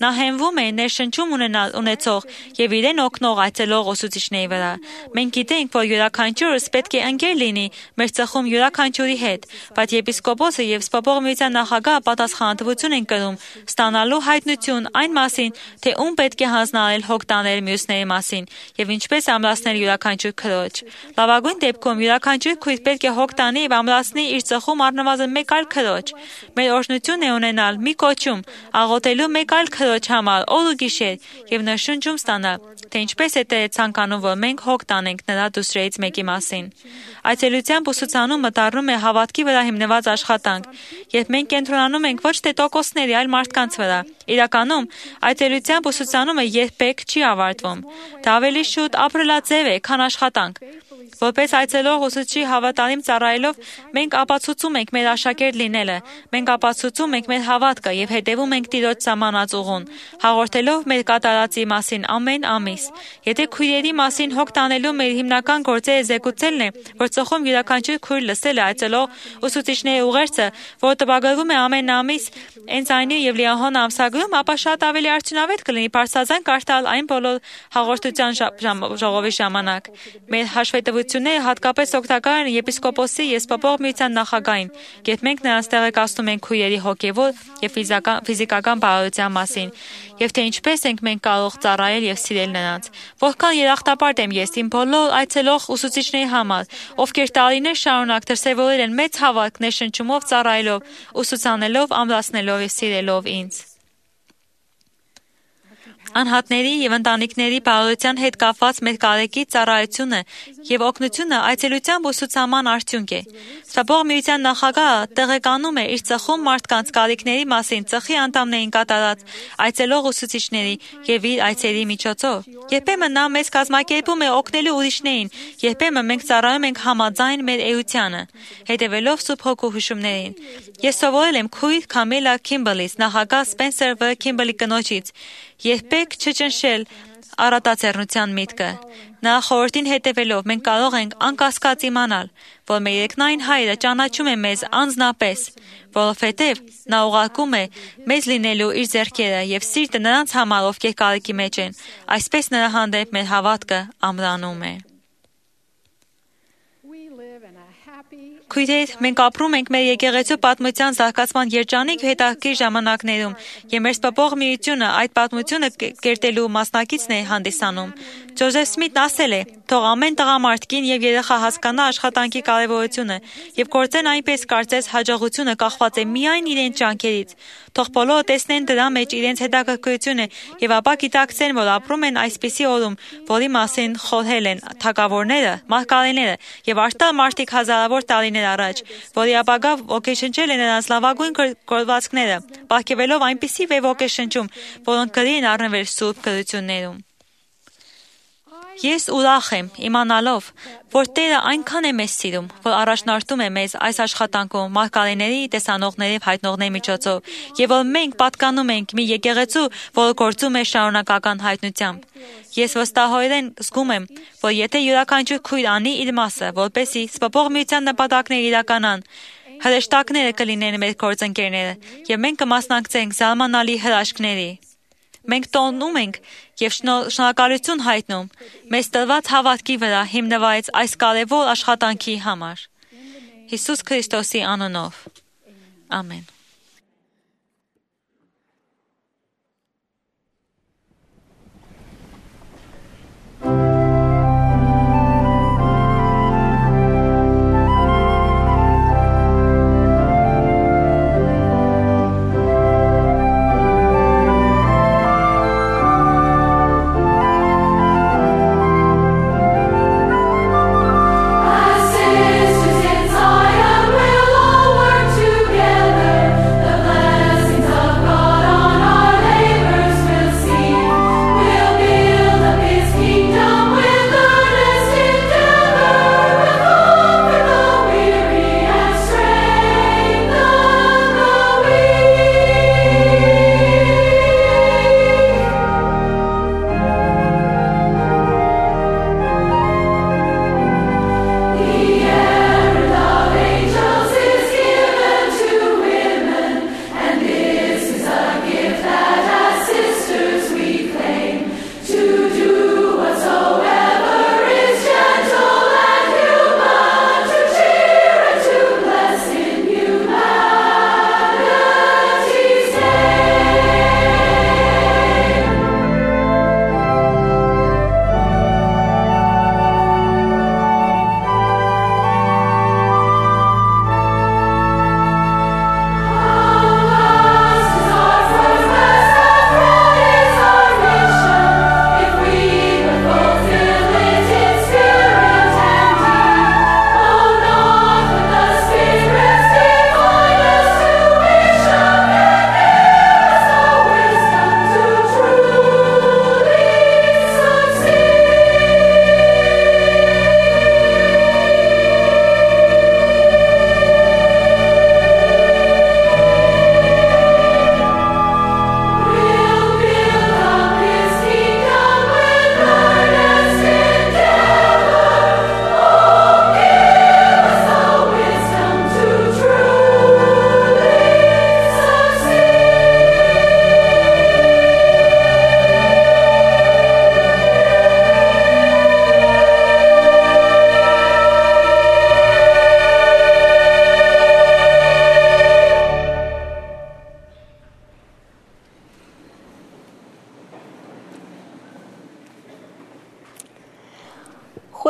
Նա հենվում է ներշնչում ունեցող եւ իրեն օգնող այցելող ուսուցիչների վրա։ Մենք գիտենք, որ յուրաքանչյուրս պետք է ընկեր լինի մեր ծխում յուրաքանչյուրի հետ, բայց եպիսկոպոսը եւ Սպասող միության նախագահը պատասխանատվություն են կրում ստանալու հայտնություն այն մասին, թե ում պետք է հանձնարարել հոգ տանել մյուսների մասին եւ ինչպես ամրացնել յուրաքանչյուր քրոջ։ Լավագույն դեպքում յուրաքանչյուր քույր պետք է հոգ տանի եւ ամրացնի իր ծխում առնվազն մեկ այլ քրոջ։ Մեր օրհնությունն է ունենալ մի կոչում, աղոթելու մեկ այլ քրոջ համար օր ու գիշեր եւ նշանջում ստանալ, թե ինչպես է Տերը ցանկանում, որ մենք հոգ տանենք նրա դուստրերից մեկի մասին։ Այցելությամբ ուսուցանումը դառնում է հավատքի վրա հիմնված աշխատանք, երբ մենք կենտրոնանում ենք ոչ թե տոկոսների, այլ մարդկանց վրա։ Իրականում, այցելությամբ ուսուցանումը երբեք չի ավարտվում։ Դա ավելի շուտ ապրելաձև է, քան աշխատանք։ Որպես այցելող ուսուցչի հավատարիմ ծառայելով, մենք ապացուցում ենք մեր աշակերտ լինելը, մենք ապացուցում ենք մեր հավատքը եւ հետեւում ենք Տիրոջ սահմանած ուղուն, հաղորդելով մեր կատարածի մասին ամեն ամիս։ Եթե քույրերի մասին հոգ տանելու մեր հիմնական գործերը զեկուցելն է, որ ծխում յուրաքանչյուր քույր լսել է այցելող ուսուցիչների ուղերձը, որ տպագրվում է ամեն ամիս Էնձայնի եւ Լիահոն ամսագրում, ապա շատ ավելի արդյունավետ կլինի բարձրաձայն կարդալ այն բոլոր հաղորդության ժողովի ժամանակ։ Մեր հաշվետվությունները հատկապես օգտակար են եպիսկոպոսի եւ Սպասող միության նախագահին, երբ մենք նրանց տեղեկացնում ենք քույրերի հոգեվոր եւ ֆիզիկական բարոյության մասին, եւ թե ինչպես ենք մենք կարող ծառայել եւ սիրել նրանց։ Որքան երախտապարտ եմ ես իմ բոլոր այցելող ուսուցիչների համար, ովքեր տարիներ շարունակ դրսևորել են մեծ հավատք ներշնչումով ծառայելով, ուսուցանելով, ամրացնելով եւ սիրելով ինձ։ Անհատների եւ ընտանիքների բարոյության հետ կապված մեր կարեկի ծառայությունը եւ օգնությունը այցելությամբ ուսուցանման արդյունք է։ Սպասող միության նախագահը տեղեկանում է իր ծխում մարդկանց կարիքների մասին ծխի անդամներին կատարած այցելող ուսուցիչների եւ իր այցերի միջոցով։ Երբեմն նա մեզ կազմակերպում է օգնելու ուրիշներին, երբեմն մենք ծառայում ենք համաձայն մեր էությանը, հետևելով Սուրբ Հոգու հուշումներին։ Ես սովորել եմ քույր Քամիլա Քիմբերլից, նախագահ Սպենսեր Վ. Քիմբերլի կնոջից, երբեք չճնշել առատաձեռնության միտքը։ Նա խորհրդին հետևելով մենք կարող ենք անկասկած իմանալ, որ մեր երկնային Հայրը ճանաչում է մեզ անձնապես, որովհետև նա ուղարկում է մեզ լինելու իր ձեռքերը եւ սիրտը նրանց համար, ովքեր կարիքի մեջ են, այսպես նրա հանդեպ մեր հավատքը ամրանում է։ Քույրեր, մենք ապրում ենք մեր եկեղեցու պատմության զարգացման երջանիկ հետաքրքիր ժամանակներում, եւ մեր Սպասող միությունը այդ պատմությունը կերտելու մասնակիցն է հանդիսանում։ Ջոզեֆ Սմիթն ասել է. «Թող ամեն տղամարդ, կին եւ երեխա հասկանա աշխատանքի կարեւորությունը եւ գործեն այնպես, կարծես հաջողությունը կախված է միայն իրենց ջանքերից։ Թող բոլորը տեսնեն դրա մեջ իրենց հետաքրքրությունը եւ ապա գիտակցեն, որ ապրում են այսպիսի օրում, որի մասին խորհել են թագավորները, մարգարեները եւ արտար մարդիկ հազարավոր տարիներ առաջ, որի ապագա ոգեշնչել են նրանց լավագույն գործվածքները, պարգևելով այնպիսի ոգեշնչում, որոնք գրի են առնվել Սուրբ գրություններում։ Ես ուրախ եմ իմանալով, որ Տերը այնքան է մեզ սիրում, որ առաջնորդում է մեզ այս աշխատանքում մարգարեների, տեսանողների եւ հայտնողների միջոցով, եւ որ մենք պատկանում ենք մի եկեղեցու, որը գործում է շարունակական հայտնությամբ։ Ես վստահորեն զգում եմ, որ եթե յուրաքանչյուր քույր անի իր մասը, որպեսզի Սպասող միության նպատակները իրականան, հրեշտակները կլինեն մեր գործընկերները, եւ մենք կմասնակցենք զարմանալի հրաշքների։ Մենք տոնում ենք եւ շնորհակալություն հայտնում մեզ տրված հավատքի վրա հիմնված այս կարևոր աշխատանքի համար։ Հիսուս Քրիստոսի անունով։ Ամեն։
Sisters in Zion will all work together.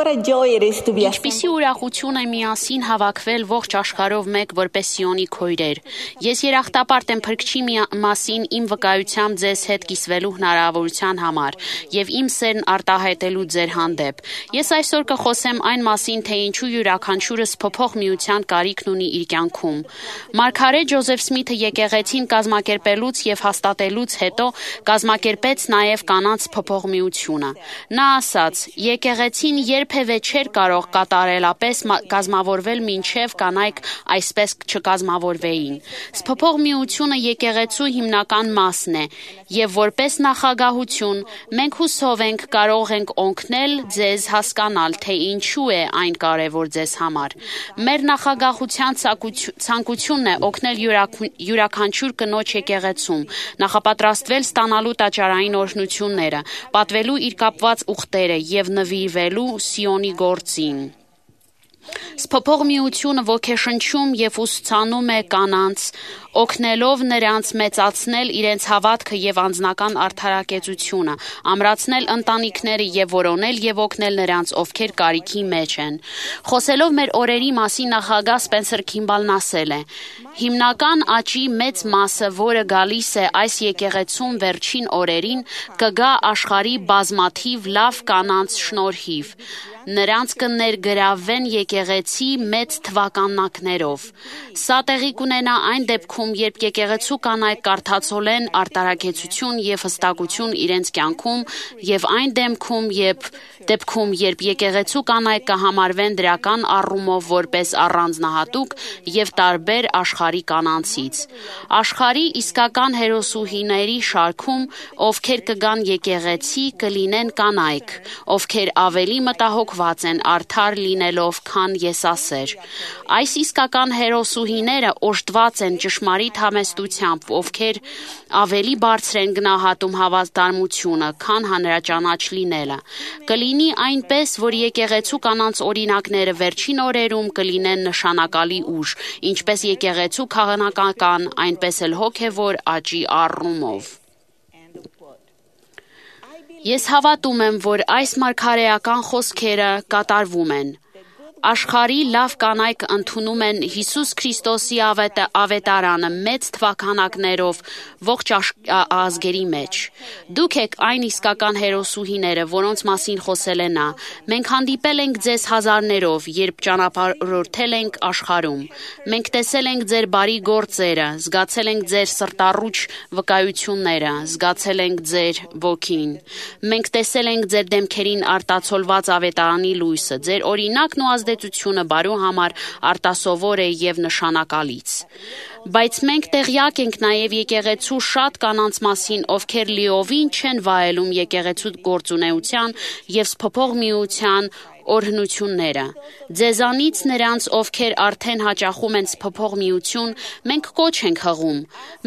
What a joy it is to be
Ինչպիսի ուրախություն է միասին հավաքվել ողջ աշխարհով մեկ որպես Սիոնի քույրեր։ Ես երախտապարտ եմ Փրկչի մասին իմ վկայությամբ ձեզ հետ կիսվելու հնարավորության համար եւ իմ սերն արտահայտելու ձեր հանդեպ։ Ես այսօր կխոսեմ այն մասին, թե ինչու յուրաքանչյուրս փոփոխ միության կարիքն ունի իր կյանքում։ Մարգարե Ջոզեֆ Սմիթը եկեղեցին կազմակերպելուց եւ հաստատելուց հետո կազմակերպեց նաեւ կանանց փոփոխ միությունը։ Նա ասաց. եկեղեցին երբևէ չէր կարող կատարելապես կազմավորվել մինչև կանայք այսպես չկազմավորվեին։ Փոփոխ միությունը եկեղեցու հիմնական մասն է եւ որպես նախագահություն մենք հուսով ենք կարող ենք օգնել ձեզ հասկանալ, թե ինչու է այն կարեւոր ձեզ համար։ Մեր նախագահության ցանկությունն է օգնել յուրաքանչյուր կնոջ եկեղեցում, նախապատրաստվել ստանալու տաճարային օրհնությունները, պատվելու իր կապված ուխտերը եւ նվիրվելու Սիոնի գործին։ Փոփոխ միությունը ոգեշնչում եւ ուսուցանում է կանանց, օգնելով նրանց մեծացնել իրենց հավատքը եւ անձնական արդարակեցությունը, ամրացնել ընտանիքները եւ որոնել եւ օգնել նրանց, ովքեր կարիքի մեջ են։ Խոսելով մեր օրերի մասին նախագահ Սպենսեր Քիմբալն ասել է. Հիմնական աճի մեծ մասը, որը գալիս է այս եկեղեցում վերջին օրերին, կգա աշխարհի բազմաթիվ լավ կանանց շնորհիվ։ Նրանց կներգրավվեն եկեղեցի մեծ թվականակներով։ Սա տեղի կունենա այն դեպքում, երբ եկեղեցու կանայք կարդացոլեն արտարակեցություն եւ հստակություն իրենց կյանքում եւ այն դեպքում, երբ եկեղեցու կանայք կհամարվեն դրական առումով որպես առանձնահատուկ եւ տարբեր աշխարհի կանանցից։ Աշխարհի իսկական հերոսուհիների շարքում, ովքեր կգան եկեղեցի, կլինեն կանայք, ովքեր ավելի մտահոգված են արդար լինելով, քան եսասեր։ Այս իսկական հերոսուհիները օժտված են ճշմարիտ համեստությամբ, ովքեր ավելի բարձր են գնահատում հավատարմությունը, քան հանրաճանաչ լինելը։ Կլինի այնպես, որ եկեղեցու կանանց օրինակները վերջին օրերում կլինեն նշանակալի ուժ, ինչպես եկեղեցու քաղաքական, այնպես էլ հոգևոր աճի առումով։ Ես հավատում եմ, որ այս մարգարեական խոսքերը կատարվում են։ Աշխարհի լավ կանայք ընդունում են Հիսուս Քրիստոսի ավետարանը մեծ թվականակներով ողջ ազգերի մեջ։ Դուք եք այն իսկական հերոսուհիները, որոնց մասին խոսել է նա։ Մենք հանդիպել ենք ձեզ հազարներով, երբ ճանապարհորդել ենք աշխարհում։ Մենք տեսել ենք ձեր բարի գործերը, զգացել ենք ձեր սրտառուչ վկայությունները, զգացել ենք ձեր ոգին։ Մենք տեսել ենք ձեր դեմքերին արտացոլված ավետարանի լույսը, ձեր օրինակն ու ազդեցությունը բարու համար արտասովոր է եւ նշանակալից։ Բայց մենք տեղյակ ենք նաեւ եկեղեցու շատ կանանց մասին, ովքեր լիովին չեն վայելում եկեղեցու գործունեության եւ փոփոխ միության օրհնությունները։ Ձեզանից նրանց, ովքեր արդեն հաճախում են փոփոխ միություն, մենք կոչ ենք հղում։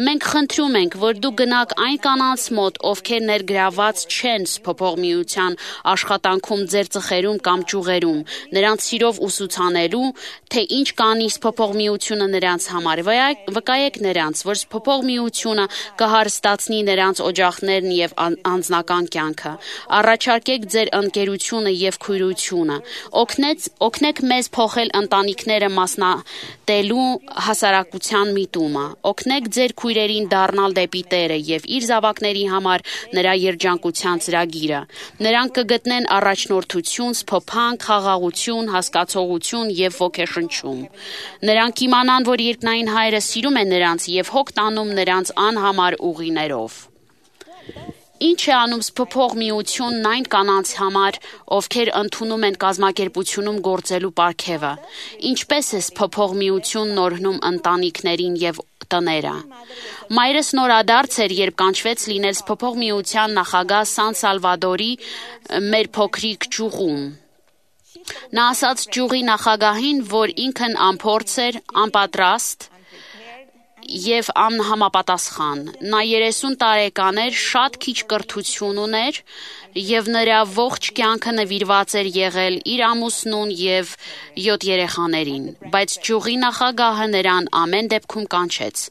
Մենք խնդրում ենք, որ դուք գնաք այն կանանց մոտ, ովքեր ներգրաված չեն փոփոխ միության աշխատանքում ձեր ծխերում կամ ճյուղերում, նրանց սիրով ուսուցանելու, թե ինչ կանի փոփոխ միությունը նրանց համար։ Վկայեք նրանց, որ փոփոխ միությունը կհարստացնի նրանց օջախներն եւ անձնական կյանքը։ Առաջարկեք ձեր ընկերությունը եւ քույրությունը։ Օգնեք մեզ փոխել ընտանիքները մասնատելու հասարակության միտումը։ Օգնեք ձեր քույրերին դառնալ դեպի Տերը եւ իր զավակների համար նրա երջանկության ծրագիրը։ Նրանք կգտնեն առաջնորդություն, սփոփանք, խաղաղություն, հասկացողություն եւ ոգեշնչում։ Նրանք իմանան, որ երկնային Հայրը սիրում է նրանց եւ հոգ տանում նրանց անհամար ուղիներով։ Ինչ է անում փոփոխ միությունն այն կանանց համար, ովքեր ընդունում են կազմակերպությունում գործելու պարգևը։ Ինչպես է փոփոխ միությունն օրհնում ընտանիքներին եւ տները։ Մայրս նորադարձ էր, երբ կանչվեց լինել փոփոխ միության նախագահ Սան Սալվադորի մեր փոքրիկ ճյուղում։ Նա ասաց ճյուղի նախագահին, որ ինքն անփորձ էր, անպատրաստ եւ անհամապատասխան։ Նա 30 տարեկան էր, շատ քիչ կրթություն ուներ եւ նրա ողջ կյանքը նվիրված էր եղել իր ամուսնուն եւ 7 երեխաներին, բայց ճյուղի նախագահը նրան ամեն դեպքում կանչեց։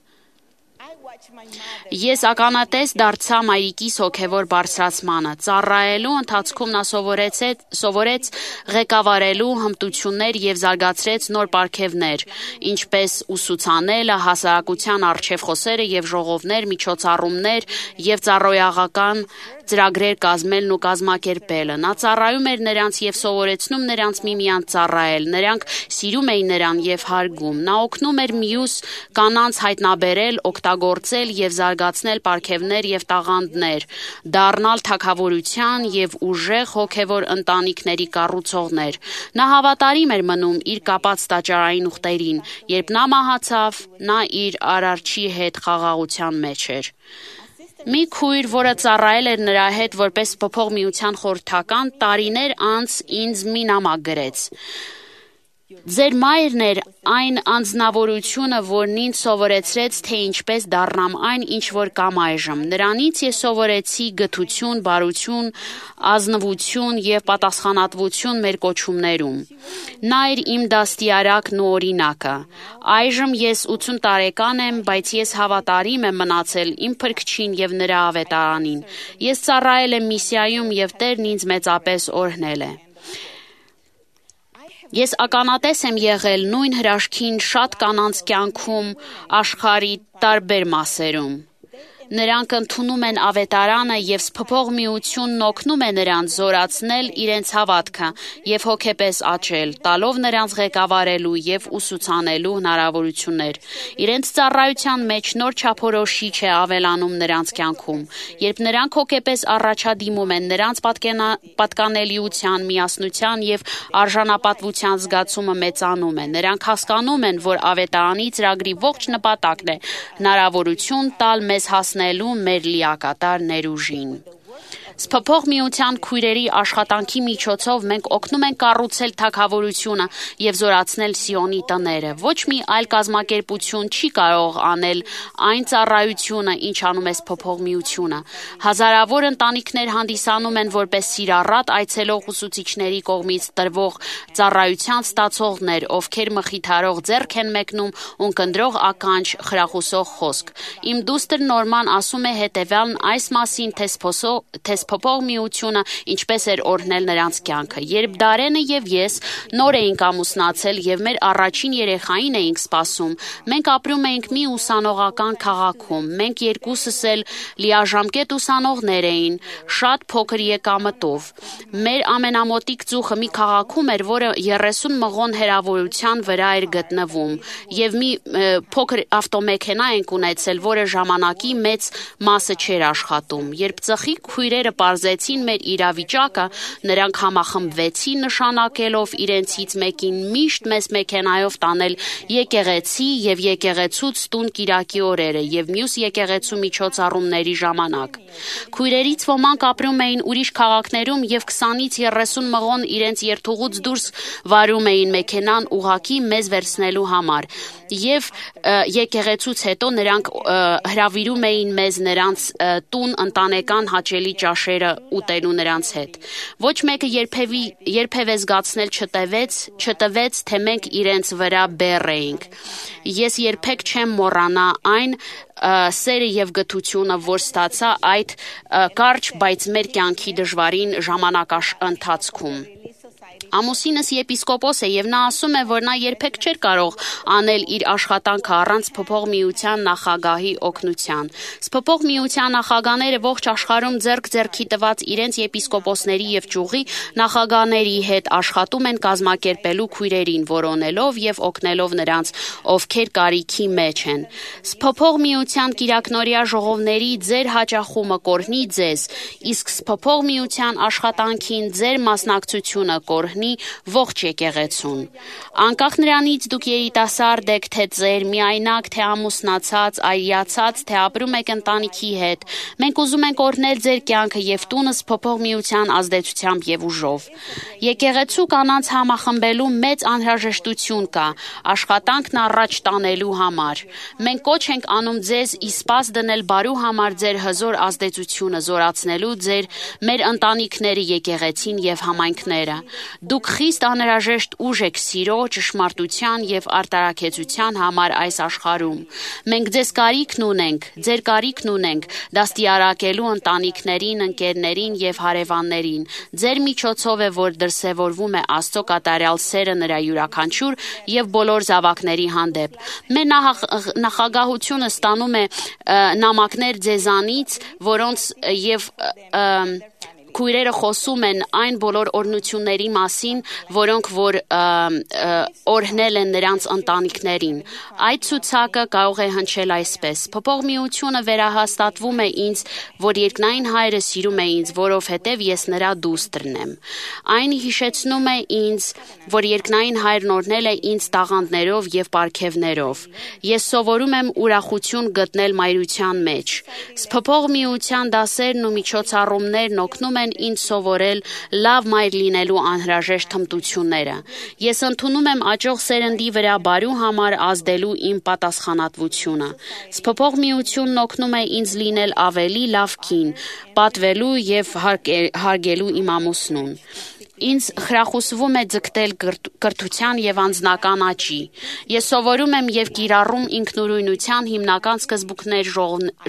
Ես ականատես դարձա մայրիկիս հոգևոր բարձրացմանը, ծառայելու ընթացքում նա սովորեց ղեկավարելու հմտություններ և զարգացրեց նոր պարգևներ, ինչպես ուսուցանելը, հասարակության առջև խոսելը և ժողովներ, միջոցառումներ և ծառայողական ծրագրեր կազմելն ու կազմակերպելը։ Նա ծառայում էր նրանց և սովորեցնում նրանց միմյանց ծառայել, նրանք սիրում էին նրան և հարգում։ Նա օգնում էր մյուս կանանց հայտնաբերել, օգտագործել և զարգացնել պարգևներ և տաղանդներ, դառնալ թագավորության և ուժեղ հոգևոր ընտանիքների կառուցողներ։ Նա հավատարիմ էր մնում իր կապած տաճարային ուխտերին, երբ նա մահացավ, նա իր արարչի հետ խաղաղության մեջ էր։ Մի քույր, որը ծառայել էր նրա հետ որպես փոփոխ միության խորհրդական, տարիներ անց ինձ մի նամակ գրեց. Ձեր մայրն էր այն անձնավորությունը, որն ինձ սովորեցրեց, թե ինչպես դառնամ այն, ինչ որ կամ այժմ։ Նրանից ես սովորեցի գթություն, բարություն, ազնվություն և պատասխանատվություն մեր կոչումներում։ Նա էր իմ դաստիարակն ու օրինակը։ Այժմ ես 80 տարեկան եմ, բայց ես հավատարիմ եմ մնացել իմ Փրկչին և նրա ավետարանին։ Ես ծառայել եմ միսիայում և Տերն ինձ մեծապես օրհնել է։ Ես ականատես եմ եղել նույն հրաշքին շատ կանանց կյանքում աշխարհի տարբեր մասերում։ Նրանք ընդունում են ավետարանը և փոփոխ միությունն օգնում է նրանց զորացնել իրենց հավատքը և հոգեպես աճել, տալով նրանց ղեկավարելու և ուսուցանելու հնարավորություններ։ Իրենց ծառայության մեջ նոր չափորոշիչ է ավելանում նրանց կյանքում։ Երբ նրանք հոգեպես առաջադիմում են, նրանց պատկանելիության, միասնության և արժանապատվության զգացումը մեծանում է։ Նրանք հասկանում են, որ ավետարանի ծրագրի ողջ նպատակն է հնարավորություն տալ մեզ հասնելու մեր լիակատար ներուժին։ Փոփոխ միության քույրերի աշխատանքի միջոցով մենք օգնում ենք կառուցել թագավորությունը և զորացնել Սիոնի տները։ Ոչ մի այլ կազմակերպություն չի կարող անել այն ծառայությունը, ինչ անում է փոփոխ միությունը։ Հազարավոր ընտանիքներ հանդիսանում են որպես սիրառատ այցելող ուսուցիչների կողմից տրվող ծառայության ստացողներ, ովքեր մխիթարող ձեռք են մեկնում ու կնդրող ականջ խրախուսող խոսք։ Իմ դուստր Նորման ասում է հետևյալն այս մասին, թե փոփոխ միությունը ինչպես էր օրհնել նրանց կյանքը։ Երբ Դարենը և ես նոր էինք ամուսնացել և մեր առաջին երեխային էինք սպասում, մենք ապրում էինք մի ուսանողական քաղաքում։ Մենք երկուսս էլ լիաժամկետ ուսանողներ էին, շատ փոքր եկամտով։ Մեր ամենամոտիկ ծուխը մի քաղաքում էր, որը 30 մղոն հեռավորության վրա էր գտնվում, և մի փոքր ավտոմեքենա ենք ունեցել, որը ժամանակի մեծ մասը չէր աշխատում։ Երբ ծխի քույրերը պարզեցին մեր իրավիճակը, նրանք համախմբվեցին նշանակելով իրենցից մեկին միշտ մեզ մեքենայով տանել եկեղեցի և եկեղեցուց տուն կիրակի օրերը և մյուս եկեղեցու միջոցառումների ժամանակ։ Քույրերից ոմանք ապրում էին ուրիշ քաղաքներում և 20-ից 30 մղոն իրենց երթուղուց դուրս վարում էին մեքենան ուղղակի մեզ վերցնելու համար, և եկեղեցուց հետո նրանք հրավիրում էին մեզ նրանց տուն ընտանեկան հաճելի ճաշերը ուտելու նրանց հետ։ Ոչ մեկը երբևէ զգացնել չտվեց, թե մենք իրենց վրա բեռ էինք։ Ես երբեք չեմ մոռանա այն սերը և գթությունը, որ ստացա այդ կարճ, բայց մեր կյանքի դժվարին ժամանակընթացքում։ Ամուսինս եպիսկոպոս է և նա ասում է, որ նա երբեք չէր կարող անել իր աշխատանքը առանց փոփոխ միության նախագահի օգնության։ Փոփոխ միության նախագահները ողջ աշխարհում ձեռք-ձեռքի տված իրենց եպիսկոպոսների և ճյուղի նախագահների հետ աշխատում են կազմակերպելու քույրերին, որոնելով և օգնելով նրանց, ովքեր կարիքի մեջ են։ Փոփոխ միության կիրակնօրյա ժողովների ձեր հաճախումը կօրհնի ձեզ, իսկ փոփոխ միության աշխատանքին ձեր մասնակցությունը կօրհնի ողջ եկեղեցուն։ Անկախ նրանից դուք երիտասարդ եք, թե ծեր, միայնակ, թե ամուսնացած, այրիացած, թե ապրում եք ընտանիքի հետ, մենք ուզում ենք օրհնել ձեր կյանքը և տունս փոփոխ միության ազդեցությամբ և ուժով։ Եկեղեցու կանանց համախմբելու մեծ անհրաժեշտություն կա աշխատանքն առաջ տանելու համար։ Մենք կոչ ենք անում ձեզ ի սպաս դնել բարու համար ձեր հզոր ազդեցությունը, զորացնելու մեր ընտանիքները, եկեղեցին և համայնքները։ Դուք խիստ անհրաժեշտ ուժ եք սիրո, ճշմարտության եւ արտարակեցության համար այս աշխարհում։ Մենք ձեզ կարիքն ունենք, ձեր կարիքն ունենք դաստիարակելու ընտանիքներին, ընկերներին եւ հարևաններին։ Ձեր միջոցով է, որ դրսևորվում է Աստծո կատարյալ սերը նրա յուրաքանչյուր եւ բոլոր զավակների հանդեպ։ Մեր նախագահությունը ստանում է նամակներ ձեզանից, որոնց եւ քույրերը խոսում են այն բոլոր օրհնությունների մասին, որոնք որ օրհնել են նրանց ընտանիքներին։ Այդ ցուցակը կարող է հնչել այսպես. Փոփոխ միությունը վերահաստատվում է ինձ, որ երկնային Հայրը սիրում է ինձ, որովհետև ես նրա դուստրն եմ։ Այն հիշեցնում է ինձ, որ երկնային Հայրն օրհնել է ինձ տաղանդներով եւ պարգևներով։ Ես սովորում եմ ուրախություն գտնել մայրության մեջ։ Փոփոխ միության դասերն ու միջոցառումներն օգնում են ինձ սովորել լավ մայր լինելու անհրաժեշտ հմտությունները։ Ես ընդունում եմ աճող սերնդի վրա բարու համար ազդելու իմ պատասխանատվությունը։ Փոփոխ միությունն օգնում է ինձ լինել ավելի լավ կին, պատվելու եւ հարգելու իմ ամուսնուն։ Ինձ խրախուսվում է ձգտել կրթության եւ անձնական աճի։ Ես սովորում եմ եւ կիրառում ինքնուրույնության հիմնական սկզբունքներ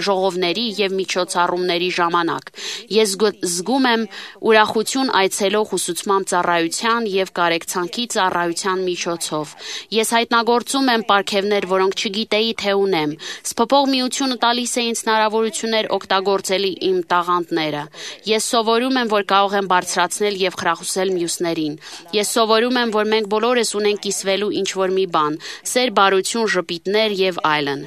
ժողովների եւ միջոցառումների ժամանակ։ Ես զգում եմ ուրախություն այցելող ուսուցման ծառայության եւ կարեկցանքի ծառայության միջոցով։ Ես հայտնագործում եմ պարգևներ, որոնք չգիտեի թե ունեմ։ Փոփոխ միությունը տալիս է ինձ հնարավորություններ օգտագործելի իմ տաղանդները։ Ես սովորում եմ, որ կարող եմ բարձրացնել եւ խրախուսել մյուսներին։ Ես սովորում եմ, որ մենք բոլորս ունենք կիսվելու ինչ-որ մի բան՝ սեր, բարություն, ժպիտներ եւ այլն։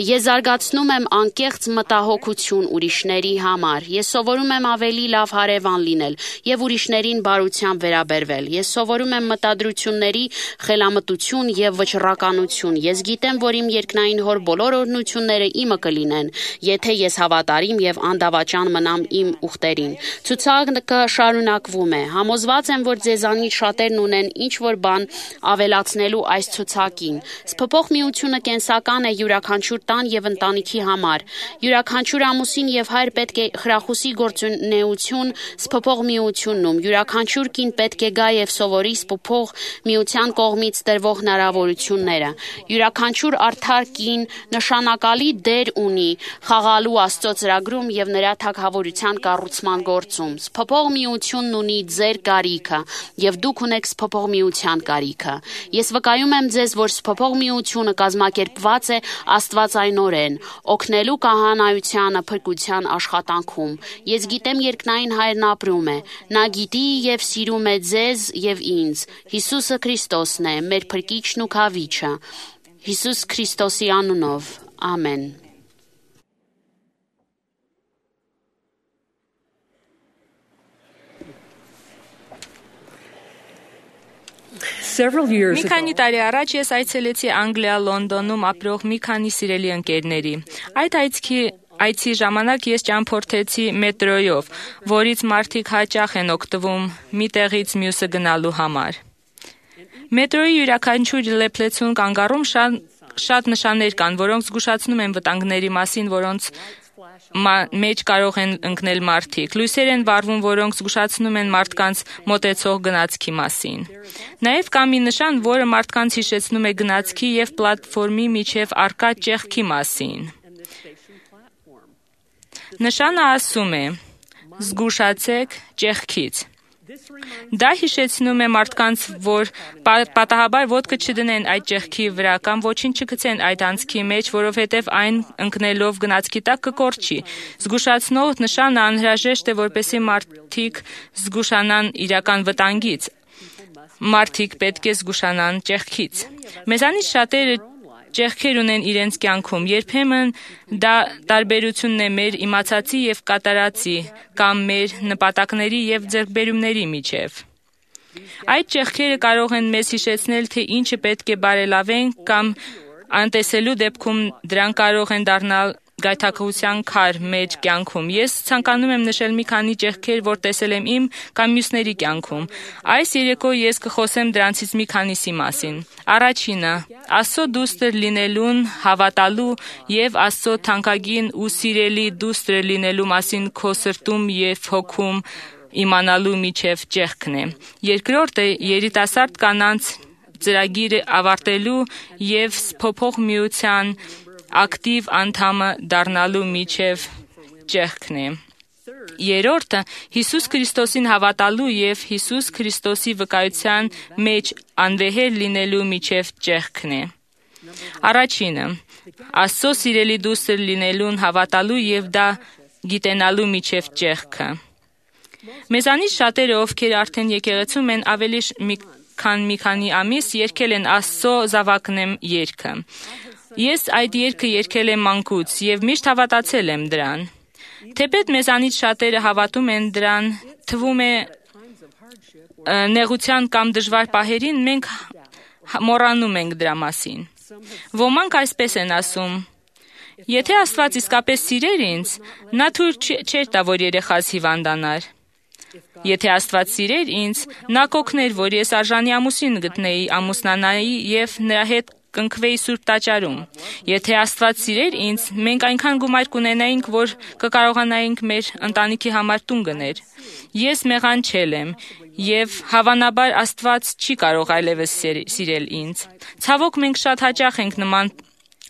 Ես զարգացնում եմ անկեղծ մտահոգություն ուրիշների համար։ Ես սովորում եմ ավելի լավ հարևան լինել եւ ուրիշներին բարությամբ վերաբերվել։ Ես սովորում եմ մտադրությունների խելամտություն եւ վճռականություն։ Ես գիտեմ, որ իմ երկնային Հոր բոլոր օրհնությունները իմը կլինեն, եթե ես հավատարիմ եւ անդավաճան մնամ իմ ուխտերին։ Ցուցակը շարունակվում է։ Համոզված եմ, որ ձեզանից շատերն ունեն ինչ-որ բան ավելացնելու այս ցուցակին։ Փոփոխ միությունը կենսական է յուրաքանչյուր տան եւ ընտանիքի համար։ Յուրաքանչյուր ամուսին եւ հայր պետք է խրախուսի գործունեություն փոփոխ միությունում։ Յուրաքանչյուր կին պետք է գա եւ սովորի փոփոխ միության կողմից տրվող հնարավորությունները։ Յուրաքանչյուր արդար կին նշանակալի դեր ունի խաղալու Աստծո ծրագրում եւ նրա թագավորության կառուցման գործում։ Փոփոխ միությունն ունի ձեր կարիքը եւ դուք ունեք փոփոխ միության կարիքը։ Ես վկայում եմ ձեզ, որ փոփոխ միությունը կազմակերպված է աստվածայնորեն, օգնելու կահանայությանը փրկության աշխատանքում։ Ես գիտեմ երկնային Հայրն ապրում է։ Նա գիտի եւ սիրում է ձեզ եւ ինձ։ Հիսուսը Քրիստոսն է, մեր փրկիչն ու քավիչը։ Հիսուս Քրիստոսի անունով։ Ամեն։
Մի քանի տարի առաջ ես այցելեցի Անգլիա Լոնդոնում ապրող մի քանի սիրելի ընկերների։ Այդ այցի ժամանակ ես ճամփորդեցի մետրոյով, որից մարդիկ հաճախ են օգտվում մի տեղից մյուսը գնալու համար։ Մետրոյի յուրաքանչյուր լեփլեցուն կանգառում շատ նշաններ կան, որոնք զգուշացնում են վտանգների մասին, որոնց մեջ կարող են ընկնել մարդիկ։ Լույսեր են վառվում, որոնք զգուշացնում են մարդկանց մոտեցող գնացքի մասին։ Նաև կա մի նշան, որը մարդկանց հիշեցնում է գնացքի եւ պլատֆորմի միջև առկա ճեղքի մասին։ Նշանը ասում է. զգուշացեք ճեղքից։ Դա հիշեցնում է մարդկանց, որ պատահաբար ոտքը չդնեն այդ ճեղքի վրա կամ ոչինչ չգցեն այդ անցքի մեջ, որովհետև այն ընկնելով գնացքի տակ կկորչի։ Զգուշացնող նշանը անհրաժեշտ է, որպեսզի մարդիկ զգուշանան իրական վտանգից։ Մարդիկ պետք է զգուշանան ճեղքից։ Մեզանից շատերը ճեղքեր ունեն իրենց կյանքում։ Երբեմն դա տարբերությունն է մեր իմացածի եւ կատարածի կամ մեր նպատակների եւ ձեռքբերումների միջև։ Այդ ճեղքերը կարող են մեզ հիշեցնել, թե ինչը պետք է բարելավենք կամ անտեսելու դեպքում դրանք կարող են դառնալ գայթակղության քար մեր կյանքում։ Ես ցանկանում եմ նշել մի քանի ճեղքեր, որ տեսել եմ իմ կամ մյուսների կյանքում։ Այս երեկո ես կխոսեմ դրանցից մի քանիսի մասին։ Առաջինը՝ Աստծո դուստր լինելուն հավատալու եւ Աստծո թանկագին ու սիրելի դուստր լինելու մասին քո սրտում եւ հոգում
իմանալու միջև ճեղքն է։ Երկրորդը երիտասարդ կանանց ծրագիրը ավարտելու եւ փոփոխ միության ակտիվ անդամը դառնալու միջև ճեղքն է։ Երրորդը Հիսուս Քրիստոսին հավատալու եւ Հիսուս Քրիստոսի վկայության մեջ անվեհեր լինելու միջև ճեղքն է։ Առաջինը Աստծո սիրելի դուստր լինելուն հավատալու եւ դա գիտենալու միջև ճեղքը։ Մեզանից շատերը, ովքեր արդեն եկեղեցում են ավելի քան մի քանի ամիս, երգել են Աստծո զավակն եմ երգը։ Ես այդ երգը երգել եմ մանկուց եւ միշտ հավատացել եմ դրան։ Թեպետ մեզանից շատերը հավատում են դրան, թվում է նեղության կամ դժվար պահերին մենք մոռանում ենք դրա մասին։ Ոմանք այսպես են ասում. Եթե Աստված իսկապես սիրեր ինձ, նա թույլ չէր տա, որ երեխաս հիվանդանար։ Եթե Աստված սիրեր ինձ, նա կօգներ, որ ես արժանի ամուսին գտնեի, ամուսնանայի եւ նրա հետ կընկվեի Սուրբ տաճարում։ Եթե Աստված սիրեր ինձ, մենք այնքան գումար կունենայինք, որ կկարողանայինք մեր ընտանիքի համար տուն գնել։ Ես մեղանչել եմ, եւ հավանաբար Աստված չի կարող այլևս սիրել ինձ։ Ցավոք մենք շատ հաճախ ենք նման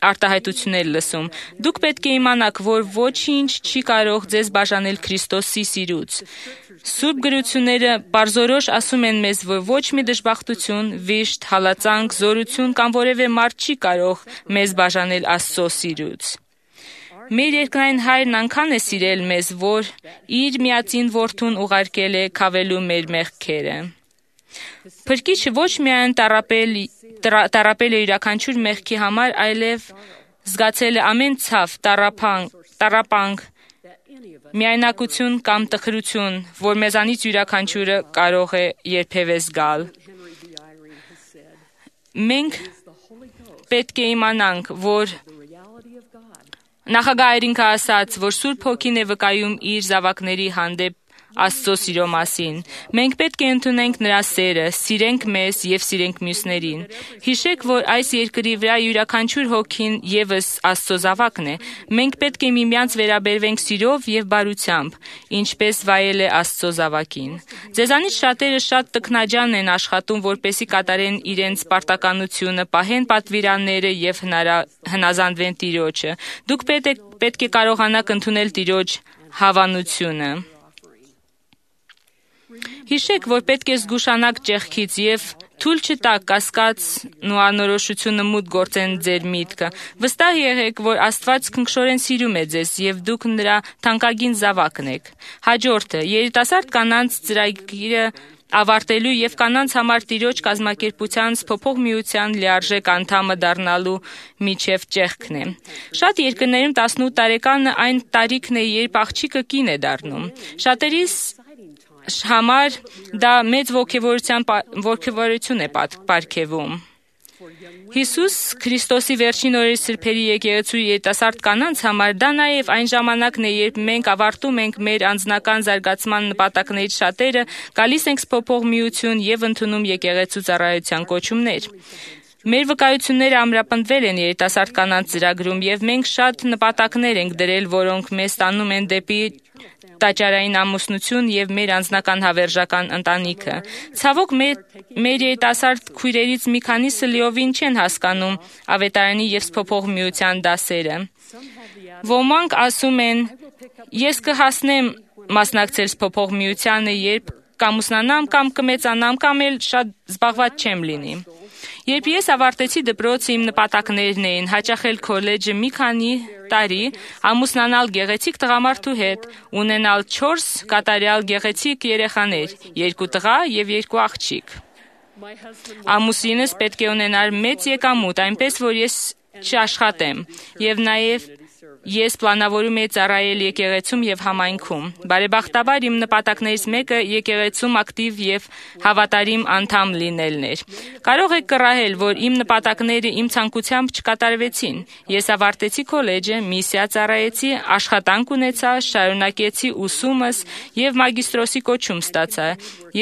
արտահայտություններ լսում։ Դուք պետք է իմանաք, որ ոչինչ չի կարող ձեզ բաժանել Քրիստոսի սիրուց։ Սուրբ գրությունները բարձորոշ ասում են մեզ, որ ոչ մի դժբախտություն, վիշտ, հալածանք, զորություն կամ որևէ մարդ չի կարող մեզ բաժանել Աստծո սիրուց։ Մեր երկնային Հայրն անքան է սիրել մեզ, որ իր միածին որդուն ուղարկել է քավելու մեր մեղքերը։ Փրկիչը ոչ միայն տառապել է յուրաքանչյուր մեղքի համար, այլև զգացել է ամեն ցավ, տառապանք, միայնակություն կամ տխրություն, որ մեզանից յուրաքանչյուրը կարող է երբևէ զգալ։ Մենք պետք է իմանանք, որ Նախագահ Այրինքը ասաց, որ Սուրբ Հոգին է վկայում իր զավակների հանդեպ Աստծո սիրո մասին։ Մենք պետք է ընդունենք նրա սերը, սիրենք մեզ եւ սիրենք մյուսներին։ Հիշեք, որ այս երկրի վրա յուրաքանչյուր հոգին եւս Աստծո զավակն է։ Մենք պետք է միմյանց վերաբերվենք սիրով եւ բարությամբ, ինչպես վայել է Աստծո զավակին։ Ձեզանից շատերը շատ տքնաջան են աշխատում, որպեսզի կատարեն իրենց պարտականությունը, պահեն պատվիրանները եւ հնազանդվեն Տիրոջը։ Դուք պետք է կարողանաք ընդունել Տիրոջ հավանությունը։ Հիշեք, որ պետք է զգուշանաք ճեղքից եւ թույլ չտաք կասկածն ու անորոշությունը մուտք գործեն ձեր միտքը։ Վստահ եղեք, որ Աստված քնքշորեն սիրում է ձեզ եւ դուք նրա թանկագին զավակն եք։ Հաջորդը երիտասարդ կանանց ծրագիրը ավարտելու եւ կանանց համար Տիրոջ կազմակերպության փոփոխ միության լիարժեք անդամը դառնալու միջև ճեղքն է։ Շատ երկրներում 18 տարեկանը այն տարիքն է, երբ աղջիկը կին է դառնում։ Շատերիս համար դա մեծ ոգևորություն է պարգևում։ Հիսուս Քրիստոսի վերջին օրերի սրբերի եկեղեցու երիտասարդ կանանց համար դա նաև այն ժամանակն է, երբ մենք ավարտում ենք մեր անձնական զարգացման նպատակներից շատերը, գալիս ենք փոփոխ միություն եւ ընդունում եկեղեցու ծառայության կոչումներ։ Մեր վկայությունները ամրապնդվել են երիտասարդ կանանց ծրագրում եւ մենք շատ նպատակներ ենք դրել, որոնք մեզ տանում են դեպի տաճարային ամուսնություն եւ մեր անձնական հավերժական ընտանիքը։ Ցավոք մեր երիտասարդ քույրերից մի քանիսը լիովին չեն հասկանում ավետարանի եւ փոփոխ միության դասերը։ Ոմանք ասում են. ես կհասնեմ մասնակցել փոփոխ միությանը, երբ կամուսնանամ կամ կմեծանամ կամ էլ շատ զբաղված չեմ լինի։ Երբ ես ավարտեցի դպրոցը, իմ նպատակներն էին հաճախել քոլեջը մի քանի տարի, ամուսնանալ գեղեցիկ տղամարդու հետ, ունենալ 4 կատարյալ գեղեցիկ երեխաներ, 2 տղա եւ 2 աղջիկ։ Ամուսինս պետք է ունենար մեծ եկամուտ, այնպես որ ես չաշխատեմ, եւ նաեւ ես պլանավորում եի ծառայել եկեղեցում եւ համայնքում։ Բարեբախտաբար իմ նպատակներից մեկը եկեղեցում ակտիվ եւ հավատարիմ անդամ լինելն էր։ Կարող եք կռահել, որ իմ նպատակները իմ ցանկությամբ չկատարվեցին։ Ես ավարտեցի քոլեջը, միսիա ծառայեցի, աշխատանք ունեցա, շարունակեցի ուսումս եւ մագիստրոսի կոչում ստացա։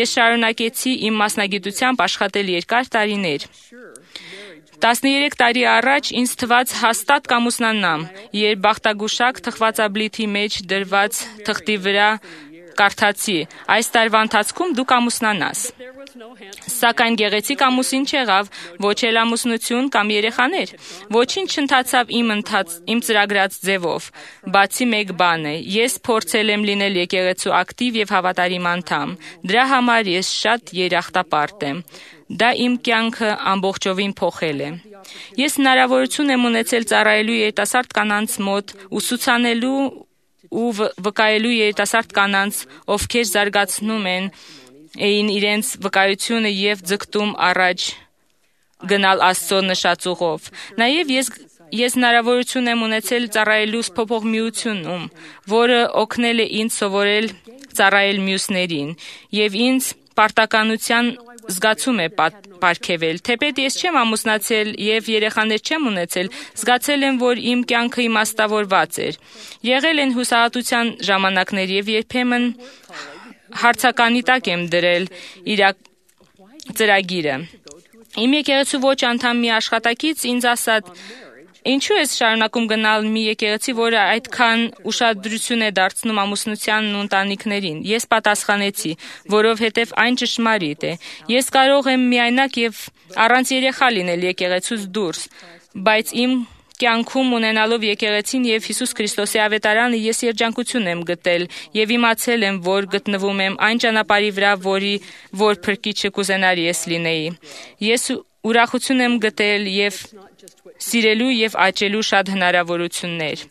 Ես շարունակեցի իմ մասնագիտությամբ աշխատել երկար տարիներ։ 13 տարի առաջ ինձ թվաց հաստատ կամուսնանամ, երբ բախտագուշակ թխվածաբլիթի մեջ դրված թղթի վրա կարդացի. այս տարվա ընթացքում դու կամուսնանաս։ Սակայն գեղեցիկ ամուսին չեղավ, ոչ էլ ամուսնություն կամ երեխաներ։ Ոչինչ չընթացավ իմ ծրագրած ձևով, բացի մեկ բան է. ես փորձել եմ լինել եկեղեցու ակտիվ եւ հավատարիմ անդամ։ Դրա համար ես շատ երախտապարտ եմ։ Դա իմ կյանքը ամբողջովին փոխել է։ Ես հնարավորություն եմ ունեցել ծառայելու երիտասարդ կանանց մոտ, ուսուցանելու ու վկայելու երիտասարդ կանանց, ովքեր զարգացնում էին իրենց վկայությունը եւ ձգտում առաջ գնալ Աստծո նշած ուղով։ Նաեւ ես հնարավորություն եմ ունեցել ծառայելու փոփոխ միությունում, որը օգնել է ինձ սովորել ծառայել մյուսներին եւ ինձ պարտականության զգացում է պարգևել։ Թեպետ ես չեմ ամուսնացել եւ երեխաներ չեմ ունեցել, զգացել եմ, որ իմ կյանքը իմաստավորված էր։ Եղել են հուսահատության ժամանակներ եւ երբեմն հարցականի տակ եմ դրել ծրագիրը։ Իմ եկեղեցու ոչ անդամ մի աշխատակից ինձ ասաց. ինչու ես շարունակում գնալ մի եկեղեցի, որը այդքան ուշադրություն է դարձնում ամուսնությանն ու ընտանիքներին։ Ես պատասխանեցի, որովհետև այն ճշմարիտ է։ Ես կարող եմ միայնակ եւ առանց երեխա լինել եկեղեցուց դուրս, բայց իմ կյանքում ունենալով եկեղեցին եւ Հիսուս Քրիստոսի ավետարանը ես երջանկություն եմ գտել եւ իմացել եմ, որ գտնվում եմ այն ճանապարհի վրա, որ փրկիչը կուզենար ես լինեի։ Ես ուրախություն եմ գտել եւ սիրելու եւ աճելու շատ հնարավորություններ։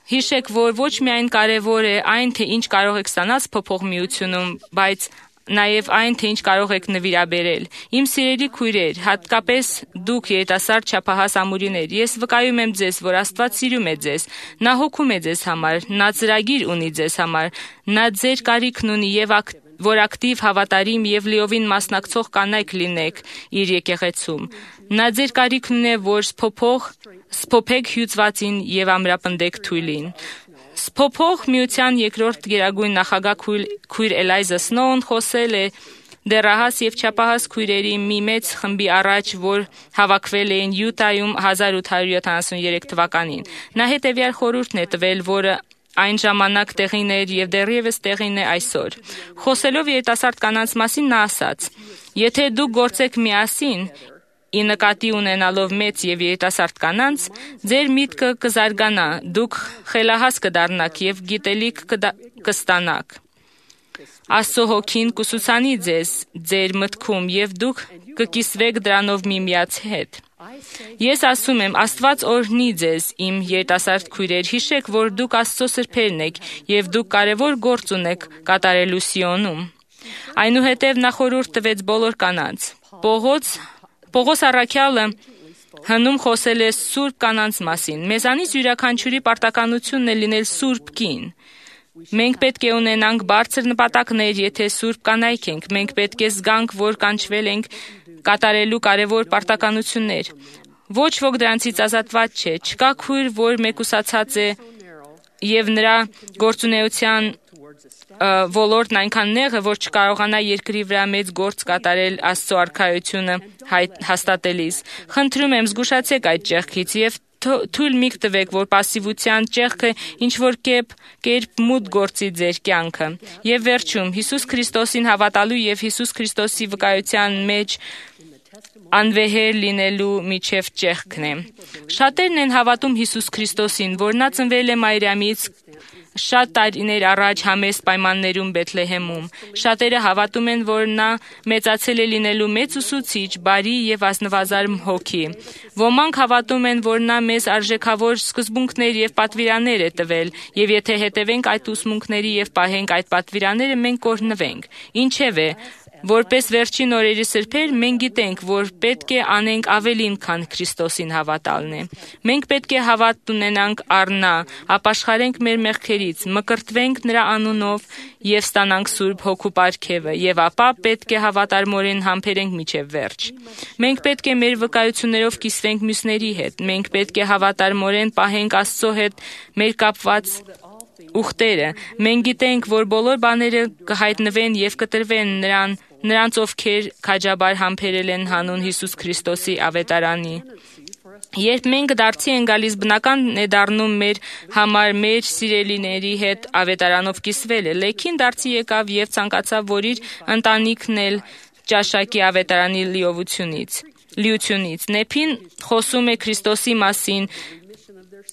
Հիշեք, որ ոչ միայն կարևոր է այն, թե ինչ կարող եք ստանալ փոփոխ միությունում, բայց նաև այն, թե ինչ կարող եք նվիրաբերել։ Իմ սիրելի քույրեր, հատկապես դուք երիտասարդ չափահաս ամուրիներ, ես վկայում եմ ձեզ, որ Աստված սիրում է ձեզ, նա հոգում է ձեզ համար, նա ծրագիր ունի ձեզ համար, նա ձեր կարիքն ունի եւ որ ակտիվ, հավատարիմ եւ լիովին մասնակցող կանայք լինեք իր եկեղեցում։ Նա ձեր կարիքն ունի, որ սփոփեք հյուծվածին եւ ամրապնդեք թույլին։ Սփոփող միության երկրորդ գերագույն նախագահ քույր Էլայզա Սնոուն խոսել է դեռահաս եւ չափահաս քույրերի մի մեծ խմբի առաջ, որ հավաքվել էին Յուտայում 1873 թվականին։ Նա հետեւյալ խորհուրդն է տվել, որը այն ժամանակ տեղին էր եւ դեռևս տեղին է այսօր։ Խոսելով երիտասարդ կանանց մասին նա ասաց. եթե դուք գործեք միասին, ի նկատի ունենալով մեծ եւ երիտասարդ կանանց, ձեր միտքը կզարգանա, դուք խելահաս կդառնաք եւ գիտելիք կստանաք։ Աստծո հոգին կուսուցանի ձեզ ձեր մտքում եւ դուք կկիսվեք դրանով միմյանց հետ։ Ես ասում եմ, Աստված օրհնի ձեզ, իմ երիտասարդ քույրեր, հիշեք, որ դուք Աստծո սրբերն եք եւ դուք կարեւոր գործ ունեք կատարելու Սիոնում։ Այնուհետև նա խորհուրդ տվեց բոլոր կանանց։ Պողոս առաքյալը հնում խոսել է սուրբ կանանց մասին։ Մեզանից յուրաքանչյուրի պարտականությունն է լինել սուրբ կին։ Մենք պետք է ունենանք բարձր նպատակներ, եթե սուրբ կանայք ենք։ Մենք պետք է զգանք, որ կանչվել ենք կատարելու կարևոր պարտականություններ։ Ոչ ոք դրանցից ազատված չէ։ Չկա քույր, որ մեկուսացած է եւ նրա գործունեության ոլորտն այնքան նեղ է, որ չկարողանա երկրի վրա մեծ գործ կատարել Աստծո արքայությունը հաստատելիս։ Խնդրում եմ, զգուշացեք այդ ճեղքից եւ թույլ մի տվեք, որ պասիվության ճեղքը ինչ-որ կերպ մուտք գործի ձեր կյանքը։ Եվ վերջում, Հիսուս Քրիստոսին հավատալու եւ Հիսուս Քրիստոսի վկայության մեջ անվեհեր լինելու միջև ճեղքն է։ Շատերն են հավատում Հիսուս Քրիստոսին, որ նա ծնվել է Մարիամից շատ տարիներ առաջ համեստ պայմաններում Բեթլեհեմում։ Շատերը հավատում են, որ նա մեծացել է լինելու մեծ ուսուցիչ, բարի եւ ազնվազարմ հոգի։ Ոմանք հավատում են, որ նա մեզ արժեքավոր սկզբունքներ եւ պատվիրաններ է տվել, եւ եթե հետևենք այդ ուսմունքների եւ պահենք այդ պատվիրանները, մենք կօրհնվենք։ Ինչևէ, որպես վերջին օրերի սրբեր, մենք գիտենք, որ պետք է անենք ավելին, քան Քրիստոսին հավատալն է։ Մենք պետք է հավատ ունենանք առ նա, ապաշխարենք մեր մեղքերից, մկրտվենք նրա անունով եւ ստանանք Սուրբ Հոգու պարգևը, եւ ապա պետք է հավատարմորեն համբերենք մինչև վերջ։ Մենք պետք է մեր վկայություններով կիսվենք մյուսների հետ։ Մենք պետք է հավատարմորեն պահենք Աստծո հետ մեր կապված ուխտերը։ Մենք գիտենք, որ բոլոր բաները կհայտնվեն եւ կտրվեն նրանց, ովքեր քաջաբար համբերել են հանուն Հիսուս Քրիստոսի ավետարանի։ Երբ մենք դարձի են գալիս, բնական է դառնում մեր համար մեր սիրելիների հետ ավետարանով կիսվելը։ Լեքին դարձի եկավ եւ ցանկացավ, որ իր ընտանիքն էլ ճաշակի ավետարանի լիությունից։ Նեփին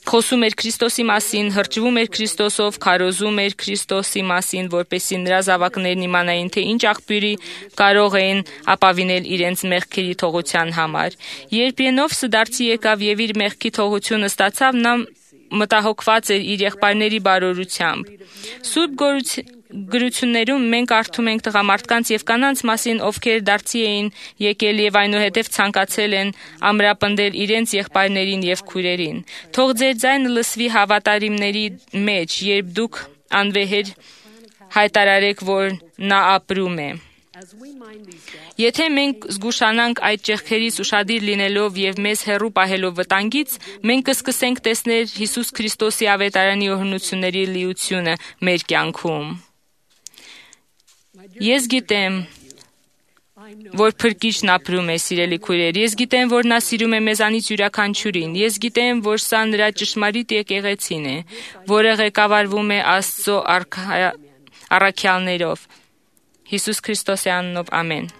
խոսում էր Քրիստոսի մասին, հրճվում էր Քրիստոսով, քարոզում էր Քրիստոսի մասին, որպեսզի նրա զավակներն իմանային, թե ինչ աղբյուրի կարող էին ապավինել իրենց մեղքերի թողության համար։ Երբ Ենովսը դարձի եկավ եւ իր մեղքի թողությունը ստացավ, նա մտահոգված էր իր եղբայրների բարօրությամբ։ Սուրբ գրություններում մենք կարդում ենք տղամարդկանց եւ կանանց մասին, ովքեր դարձի էին եկել եւ այնուհետեւ ցանկացել են ամրապնդել իրենց եղբայրներին եւ քույրերին։ Թող ձեր ձայնը լսվի հավատարիմների մեջ, երբ դուք անվեհեր հայտարարեք, որ նա ապրում է։ Եթե մենք զգուշանանք այդ ճեղքերից ուշադիր լինելով եւ մեզ հեռու պահելով վտանգից, մենք կսկսենք տեսնել Հիսուս Քրիստոսի ավետարանի օրհնությունների լիությունը մեր կյանքում։ Ես գիտեմ, որ Փրկիչն ապրում է, սիրելի քույրեր։ Ես գիտեմ, որ նա սիրում է մեզանից յուրաքանչյուրին։ Ես գիտեմ, որ սա նրա ճշմարիտ եկեղեցին է, որը ղեկավարվում է Աստծո առաքյալներով։ Հիսուս Քրիստոսի անունով, ամեն։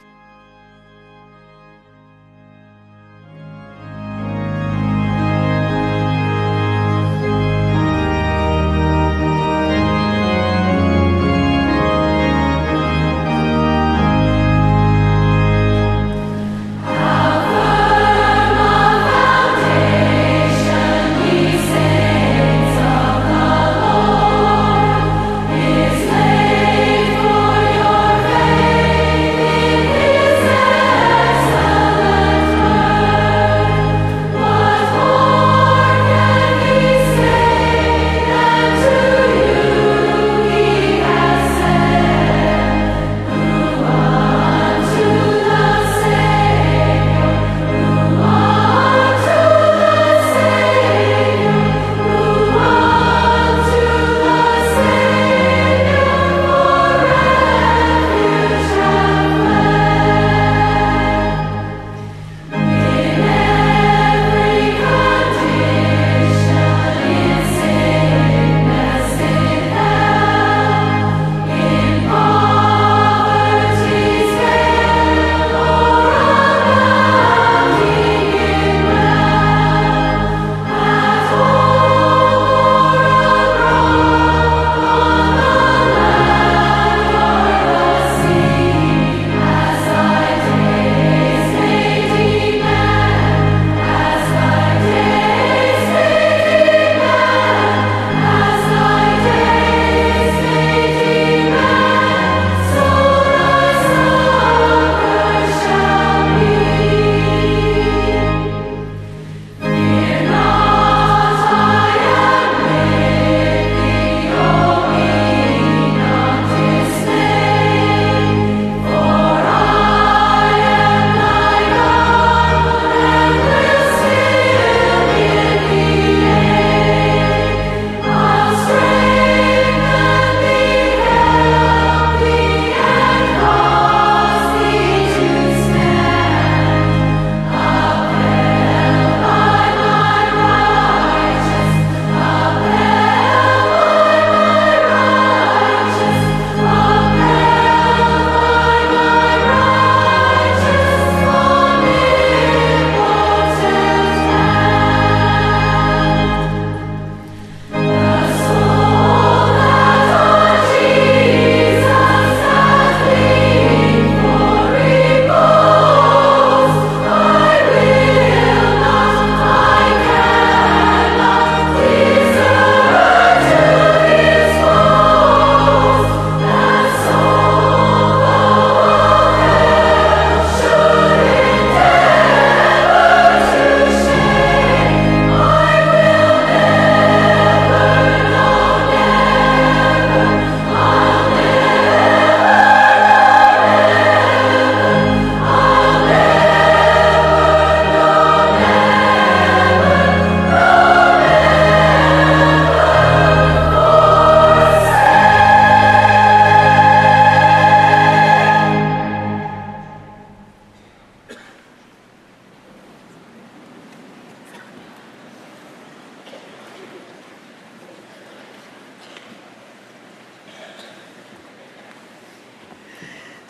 Is laid for your faith in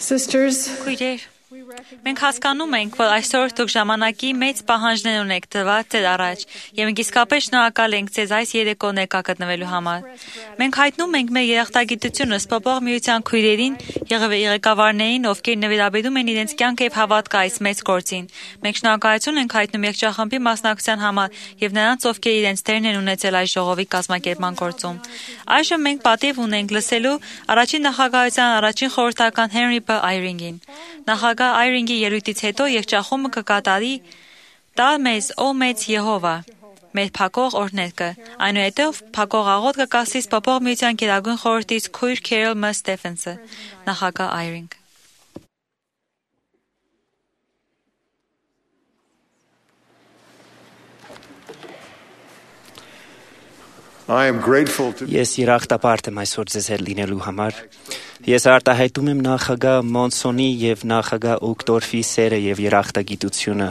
Sisters,
Քույրեր, մենք հասկանում ենք, որ այսօր դուք ժամանակի մեծ պահանջներ ունեք դրված ձեր առաջ, եւ մենք իսկապես շնորհակալ ենք ձեզ այս երեկո ներկա գտնվելու համար։ Մենք հայտնում ենք մեր երախտագիտությունը Սփոփող Միության քույրերին եւ ղեկավարներին, ովքեր նվիրաբերում են իրենց կյանքը եւ հավատքը այս մեծ գործին։ Մենք շնորհակալություն ենք հայտնում երգչախմբի մասնակցության համար եւ նրանց, ովքեր իրենց դերն են ունեցել այս ժողովի կազմակերպման գործում։ Այժմ մենք պատիվ ունենք լսելու առաջին նախագահության առաջին խորհրդական Հենրի Բ. Այրինգին։ Նախագահ Այրինգի ելույթից հետո երգչախումբը կկատարի «Տա մեզ, ո մեծ Եհովա» մեր փակող օրհներգը։ Այնուհետև փակող աղոթք կկասի Սփոփող Միության գերագույն խորհրդից քույր Քերոլ Մ. Ստեֆենսը։ Նախագահ Այրինգ։
Ես երախտապարտ եմ այսօր ձեզ հետ լինելու համար։ Ես արտահայտում եմ նախագահ Մոնսոնի եւ նախագահ Ուկտորֆի սերը եւ երախտագիտությունը։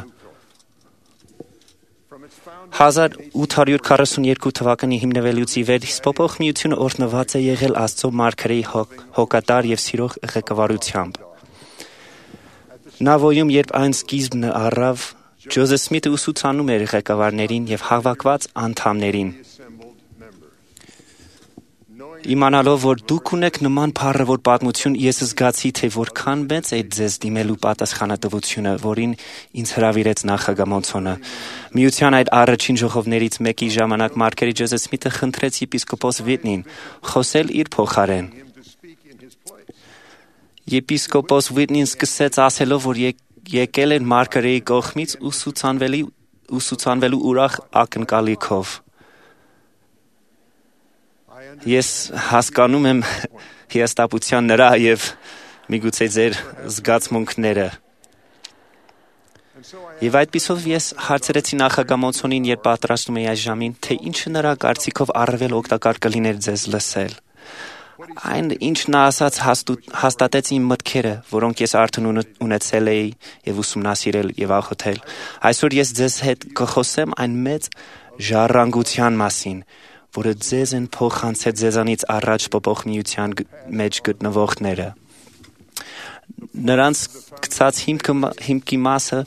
1842 թվականի հիմնվելուց ի վեր Սփոփող Միությունը օրհնված է եղել Աստծո մարգարեի հոգատար եւ սիրող ղեկավարությամբ։ Նավոյում, երբ այն սկիզբն առավ, Ջոզեֆ Սմիթը ուսուցանում էր ղեկավարներին եւ հավաքված անդամներին։ Իմանալով, որ դուք ունեք նման փառավոր պատմություն, ես զգացի, թե որքան մեծ է ձեզ դիմելու պատասխանատվությունը, որին ինձ հրավիրեց նախագահ Մոնսոնը։ Միության այդ առաջին ժողովներից մեկի ժամանակ մարգարեի Ջոզեֆ Սմիթը խնդրեց եպիսկոպոս Վիտնին խոսել իր փոխարեն։ Եպիսկոպոս Վիտնին սկսեց ասելով, որ եկել են մարգարեի կողմից ուսուցանվելու ուրախ ակնկալիքով։ Ես հասկանում եմ հիասթափության նրա եւ միգուցե ձեր զգացմունքները։ Եվ այդպիսով ես հարցրեցի նախագահ Մոնսոնին, երբ պատրաստում էի այս ժամին, թե ինչը նրա կարծիքով առավել օգտակար կլիներ ձեզ լսել։ Այն, ինչ նա ասաց, հաստատեց իմ մտքերը, որոնք ես արդեն ունեցել էի եւ ուսումնասիրել եւ աղոթել։ Այսօր ես ձեզ հետ կխոսեմ այն մեծ ժառանգության մասին, որը ձեզ են փոխանցել ձեզանից առաջ Սփոփող Միության մեջ գտնվողները։ Նրանց գծած հիմքի մասը,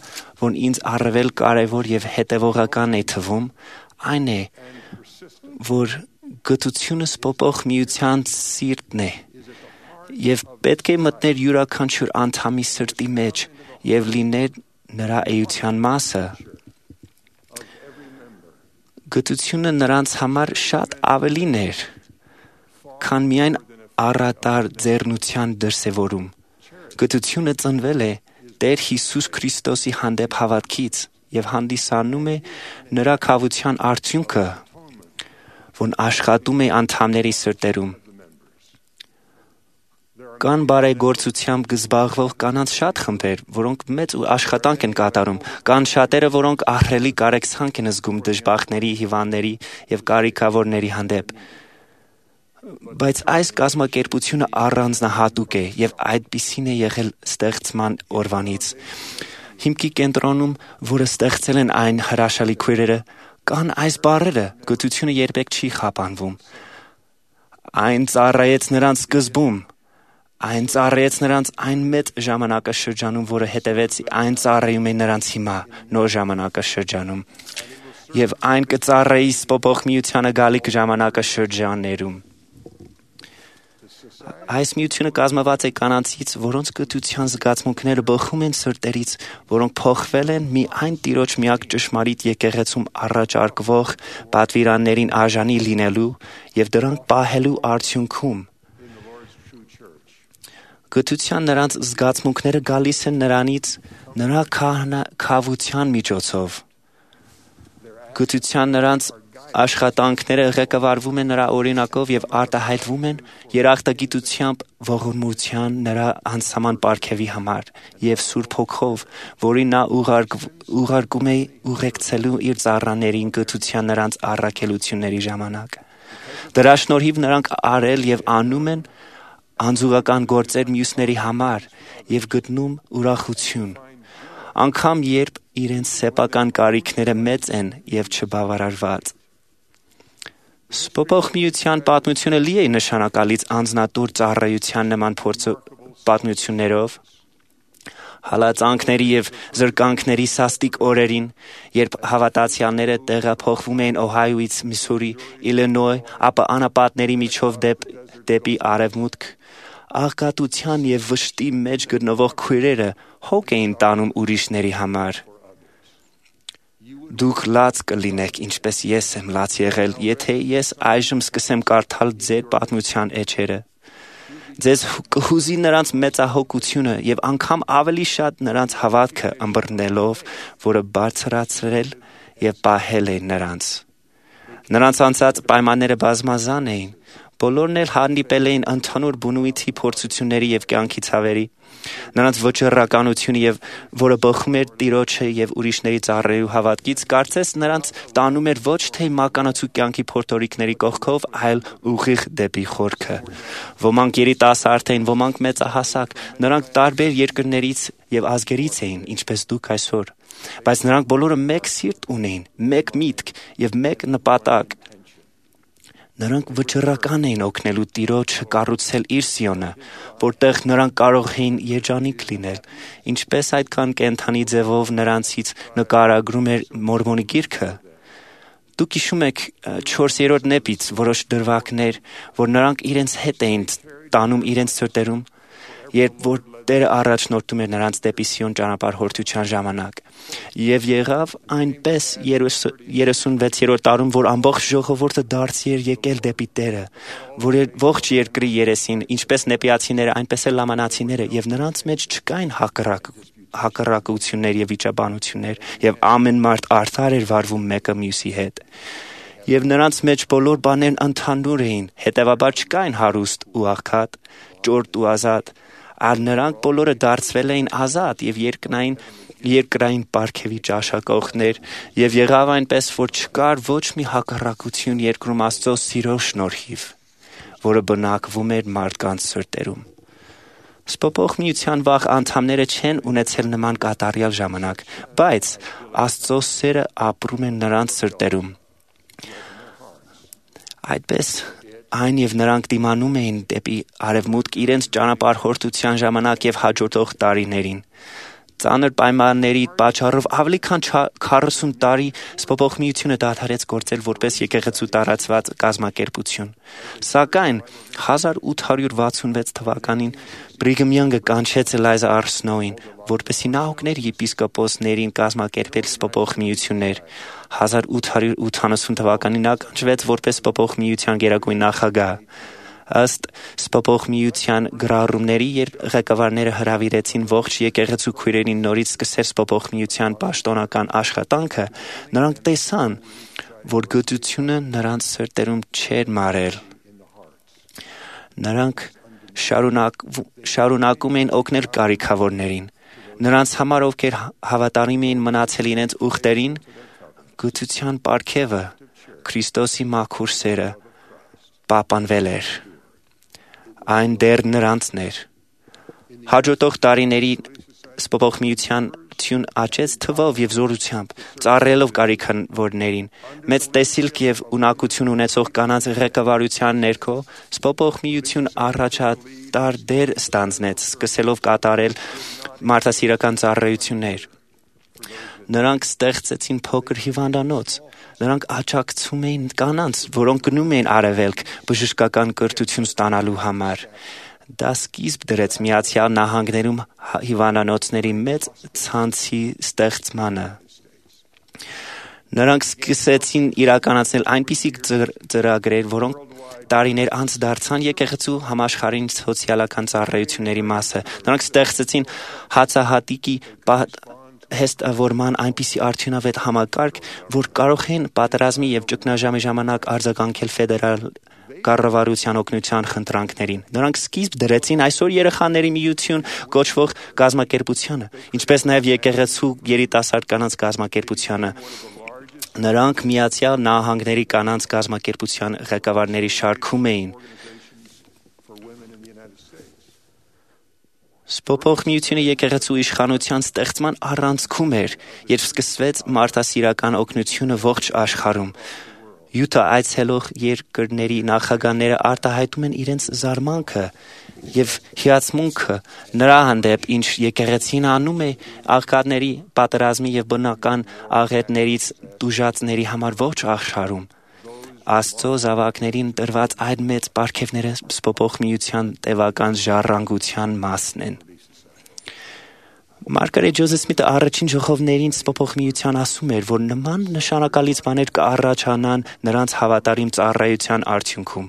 որ ինձ առավել կարևոր եւ հետեւողական է թվում, այն է, որ գթությունը Սփոփող Միության սիրտն է եւ պետք է մտներ յուրաքանչյուր անդամի սրտի մեջ եւ լիներ նրա էության մասը։ Գթությունը նրանց համար շատ ավելին էր, քան միայն առատար ձեռնության դրսևորում։ Գթությունը ծնվել է Տեր Հիսուս Քրիստոսի հանդեպ հավատքից եւ հանդիսանում է նրա քավության արդյունքը, որն աշխատում է անդամների սրտերում։ Կան բարեգործությամբ զբաղվող կանանց շատ խմբեր, որոնք մեծ աշխատանք են կատարում, կան շատերը, որոնք ահռելի կարեկցանք են զգում դժբախտների, հիվանդների եւ կարիքավորների հանդեպ։ Բայց այս կազմակերպությունը առանձնահատուկ է եւ այդպիսին է եղել ստեղծման օրվանից։ Հիմքի կենտրոնում, որը ստեղծել են այն հրաշալի քույրերը, կան այս բառերը, գթությունը երբեք չի խափանվում։ Այն ծառայեց նրանց սկզբում, այն ծառայեց նրանց այն մեծ ժամանակաշրջանում, որը հետևեց այն ծառայում է նրանց հիմա, նոր ժամանակաշրջանում, եւ այն կծառայի Սփոփող Միությանը գալիք ժամանակաշրջաններում։ Այս միությունը կազմված է կանանցից, որոնց գթության զգացմունքները բխում են սրտերից, որոնք փոխվել են մի այն Տիրոջ միակ ճշմարիտ եկեղեցում առաջարկվող պատվիրաններին արժանի լինելու եւ դրանք պահելու արդյունքում։ Գթության նրանց զգացմունքները գալիս են նրանից նրա քավության միջոցով։ Գթության նրանց աշխատանքները ղեկավարվում են նրա օրինակով եւ արտահայտվում են երախտագիտությամբ ողորմության նրա անսահման պարգևի համար եւ Սուրբ Հոգով, որին նա ուղարկում է ուղեկցելու իր ծառաներին գթության նրանց առաքելությունների ժամանակ։ Դրա շնորհիվ նրանք արել եւ անում են անձուղական գործեր մյուսների համար եւ գտնում ուրախություն, անգամ երբ իրենց սեփական կարիքները մեծ են եւ չբավարարված։ Սփոփող Միության պատմությունը լի է նշանակալից անձնատուր ծառայության նման պատմություններով, հալածանքների եւ զրկանքների սաստիկ օրերին, երբ հավատացյալները տեղափոխվում էին Օհայոից Միսսուրի, Իլինոյ, ապա անապատների միջով դեպի արևմուտք, աղքատության եւ վշտի մեջ գտնվող քույրերը հոգ էին տանում ուրիշների համար։ Դուք լաց կլինեք, ինչպես ես եմ լաց եղել, եթե ես այժմ սկսեմ կարդալ ձեր պատմության էջերը։ Ձեզ կհուզի նրանց մեծահոգությունը եւ անգամ ավելի շատ նրանց հավատքը ըմբռնելով, որը բարձրացրել եւ պահել է նրանց։ Նրանց անցած պայմանները բազմազան էին, բոլորն էլ հանդիպել էին ընդհանուր բնույթի փորձությունների եւ կյանքի ցավերի։ Նրանց վճռականությունը եւ որը բխում էր Տիրոջը եւ ուրիշների ծառայելու հավատքից, կարծես նրանց տանում էր ոչ թե մականացու կյանքի փորձորիկների կողքով, այլ ուղիղ դեպի խորքը։ Ոմանք երիտասարդ էին, ոմանք մեծահասակ, նրանք տարբեր երկրներից եւ ազգերից էին, ինչպես դուք այսօր, բայց նրանք բոլորը մեկ սիրտ ունեին, մեկ միտք եւ մեկ նպատակ։ Նրանք վճռական էին օգնելու Տիրոջը կառուցել իր Սիոնը, որտեղ նրանք կարող էին երջանիկ լինել, ինչպես այդքան կենդանի ձևով նրանցից նկարագրում էր Մորմոնի գիրքը։ Դուք հիշում եք 4-րդ նեպից որոշ դրվագներ, որ նրանք իրենց հետ էին տանում իրենց սրտերում, երբ որ Տերը առաջնորդում էր նրանց դեպի Սիոն ճանապարհորդության ժամանակ։ Եվ եղավ այնպես 36-րդ տարում, որ ամբողջ ժողովուրդը դարձի էր եկել դեպի Տերը, որ ողջ երկրի երեսին, ինչպես նեպիացիները, այնպես էլ լամանացիները, եւ նրանց մեջ չկային հակառակություններ եւ վիճաբանություններ, եւ ամեն մարդ արդար էր վարվում մեկը մյուսի հետ։ Եվ նրանց մեջ բոլոր բաներն ընդհանուր էին, հետևաբար չկային հարուստ ու աղքատ, ճորտ ու ազատ, այլ նրանք բոլորը դարձվել էին ազատ եւ երկրային պարգևի ճաշակողներ, եւ եղավ այնպես, որ չկար ոչ մի հակառակություն երկրում Աստծո սիրո շնորհիվ, որը բնակվում էր մարդկանց սրտերում։ Սպոփող միության վաղ անդամները չեն ունեցել նման կատարյալ ժամանակ, բայց Աստծո սերը ապրում է նրանց սրտերում։ Այդպես այն եւ նրանք դիմանում էին դեպի արևմուտք իրենց ճանապարհորդության ժամանակ եւ հաջորդող տարիներին։ Ծանր պայմանների պատճառով ավելի քան 40 տարի Սպոփող միությունը դադարեց գործել որպես եկեղեցու տարածված կազմակերպություն։ Սակայն 1866 թվականին Բրիգհամ Յանգը կանչեց Էլայզա Ար Սնոուին, որպեսզի նա օգներ եպիսկոպոսներին կազմակերպել Սպոփող միություններ։ 1880 թվականին նա կանչվեց որպես Սպոփող միության գերագույն նախագահ։ Ըստ Սպոփող միության գրառումների, երբ ղեկավարները հրավիրեցին ողջ եկեղեցու քույրերին նորից սկսել Սպոփող միության պաշտոնական աշխատանքը, նրանք տեսան, որ գթությունը նրանց սրտերում չէր մարել։ Նրանք շարունակում էին օգնել կարիքավորներին։ Նրանց համար, ովքեր հավատարիմ էին մնացել իրենց ուխտերին, գթության պարգևը, Քրիստոսի մաքուր սերը պահպանվել էր։ Այն դեռ նրանցն էր։ Հաջորդող տարիների Սպոփող միության թյուն աճեց թվով եւ զորությամբ, ծառայելով կարիքավորներին։ Մեծ տեսիլք եւ ունակություն ունեցող կանանց ղեկավարության ներքո Սպոփող միություն առաջատար դեր ստանձնեց, սկսելով կատարել մարդասիրական ծառայություններ։ Նրանք ստեղծեցին փոքր հիվանդանոց։ Նրանք աջակցում էին կանանց, որոնք գնում էին արևելք բժշկական կրթություն ստանալու համար։ Դա սկիզբ դրեց Միացյալ Նահանգներում հիվանդանոցների մեծ ցանցի ստեղծմանը։ Նրանք սկսեցին իրականացնել այնպիսի ծրագրեր, որոնք տարիներ անց դարձան եկեղեցու համաշխարհային սոցիալական ծառայությունների մասը։ Նրանք ստեղծեցին հացահատիկի հեստավորման այնպիսի արդյունավետ համակարգ, որ կարող են պատերազմի եւ ճգնաժամի ժամանակ արձագանքել ֆեդերալ կառավարության օգնության խնդրանքներին։ Նրանք սկիզբ դրեցին այսօր երեխաների միություն կոչվող կազմակերպությանը, ինչպես նաեւ եկեղեցու երիտասարդ կանանց կազմակերպությանը։ Նրանք Միացյալ Նահանգների կանանց կազմակերպության ղեկավարների շարքում էին։ Սպոփող միությունը եկեղեցու իշխանության ստեղծման առանցքում էր, երբ սկսվեց մարդասիրական օգնությունը ողջ աշխարհում։ Յուտա այցելող երկրների նախագահները արտահայտում են իրենց զարմանքը եւ հիացմունքը նրա հանդեպ, ինչ եկեղեցին անում է աղքատների պատերազմի եւ բնական աղետներից տուժածների համար ոչ աշխարհում։ Աստծո զավակներին տրված այդ մեծ պարգևները սփոփող միության տևական ժառանգության մասն են։ Մարգարետ Ջոզեֆ Սմիթը առաջին ժողովներին սփոփող միության ասում էր, որ նման նշանակալից բաներ կառաջանան նրանց հավատարիմ ծառայության արդյունքում։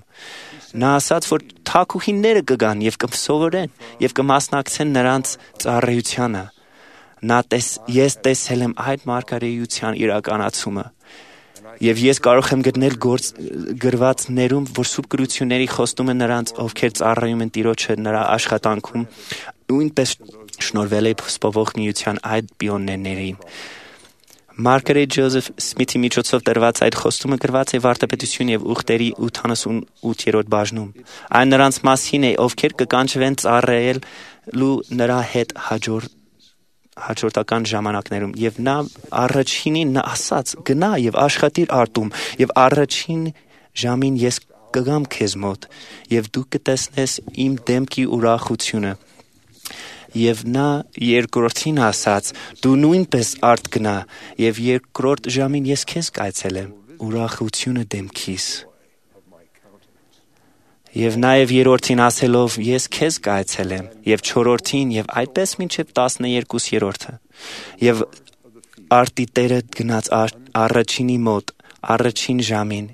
Նա ասաց, որ թագուհիները կգան եւ կսովորեն եւ կմասնակցեն նրանց ծառայությանը։ Ես տեսել եմ այդ մարգարեության իրականացումը։ Եվ ես կարող եմ գտնել գրվածներում, որ սուրբ գրությունների խոստումը նրանց, ովքեր ծառայում են Տիրոջը նրա աշխատանքում, նույնպես շնորհվել է սփոփող միության այդ պիոներներին։ Մարգարետ Ջոզեֆ Սմիթի միջոցով տրված այդ խոստումը գրված է Վարդապետություն եւ ուխտերի 88-րդ բաժնում։ Այն նրանց մասին է, ովքեր կկանչվեն ծառայելու նրա հետ հաջորդական ժամանակներում, եւ նա առաջինին ասաց. գնա եւ աշխատիր արտում, եւ առաջին ժամին ես կգամ քեզ մոտ, եւ դու կտեսնես իմ դեմքի ուրախությունը։ Եվ նա երկրորդին ասաց. դու նույնպես արդ գնա, եւ երկրորդ ժամին ես քեզ կայցելեմ, ուրախությունը դեմքիս։ Եվ նաև երրորդին ասելով ես քեզ կայցելեմ, եւ չորրորդին եւ այդպես մինչեւ 12-րդը։ Եվ արտի տերը գնաց առաջինի մոտ, առաջին ժամին,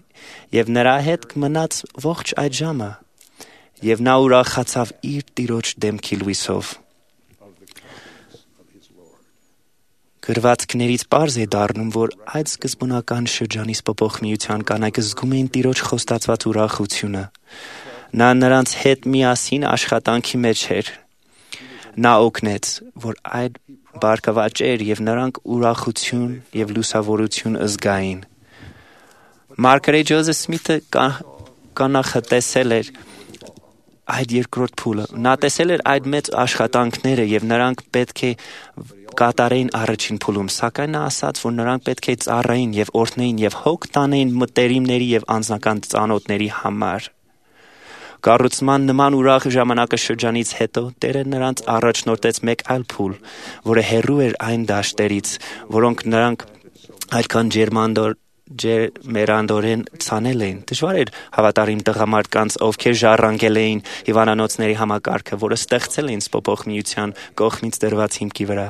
եւ նրա հետ մնաց ողջ այդ ժամը, եւ նա ուրախացավ իր Տիրոջ դեմքի լույսով։ Գրվածքներից պարզ է դառնում, որ այդ սկզբունական շրջանի սփոփող միության կանայք զգում էին Տիրոջ խոստացված ուրախությունը։ Նա նրանց հետ միասին աշխատանքի մեջ էր։ Նա օգնեց, որ այդ բարգավաճեր եւ նրանք ուրախություն եւ լուսավորություն զգային։ Մարգարետ Ջոզեֆ Սմիթը կանխատեսել էր այդ երկրորդ փուլը։ Նա տեսել էր այդ մեծ աշխատանքները եւ նրանք պետք է կատարեին առաջին փուլում, սակայն նա ասաց, որ նրանք պետք է ծառայեին եւ օրհնեին եւ հոգ տանեին մտերիմների եւ անձնական ծանոթների համար։ Կառուցման նման ուրախ ժամանակաշրջանից հետո Տերը նրանց առաջնորդեց մեկ այլ փուլ, որը հեռու էր այն դաշտերից, որոնք նրանք այդքան ջերմերանդորեն ցանել էին։ Դժվար էր հավատարիմ տղամարդկանց, ովքեր ժառանգել էին հիվանդանոցների համակարգը, որը ստեղծել էին սփոփող միության կողմից դրված հիմքի վրա։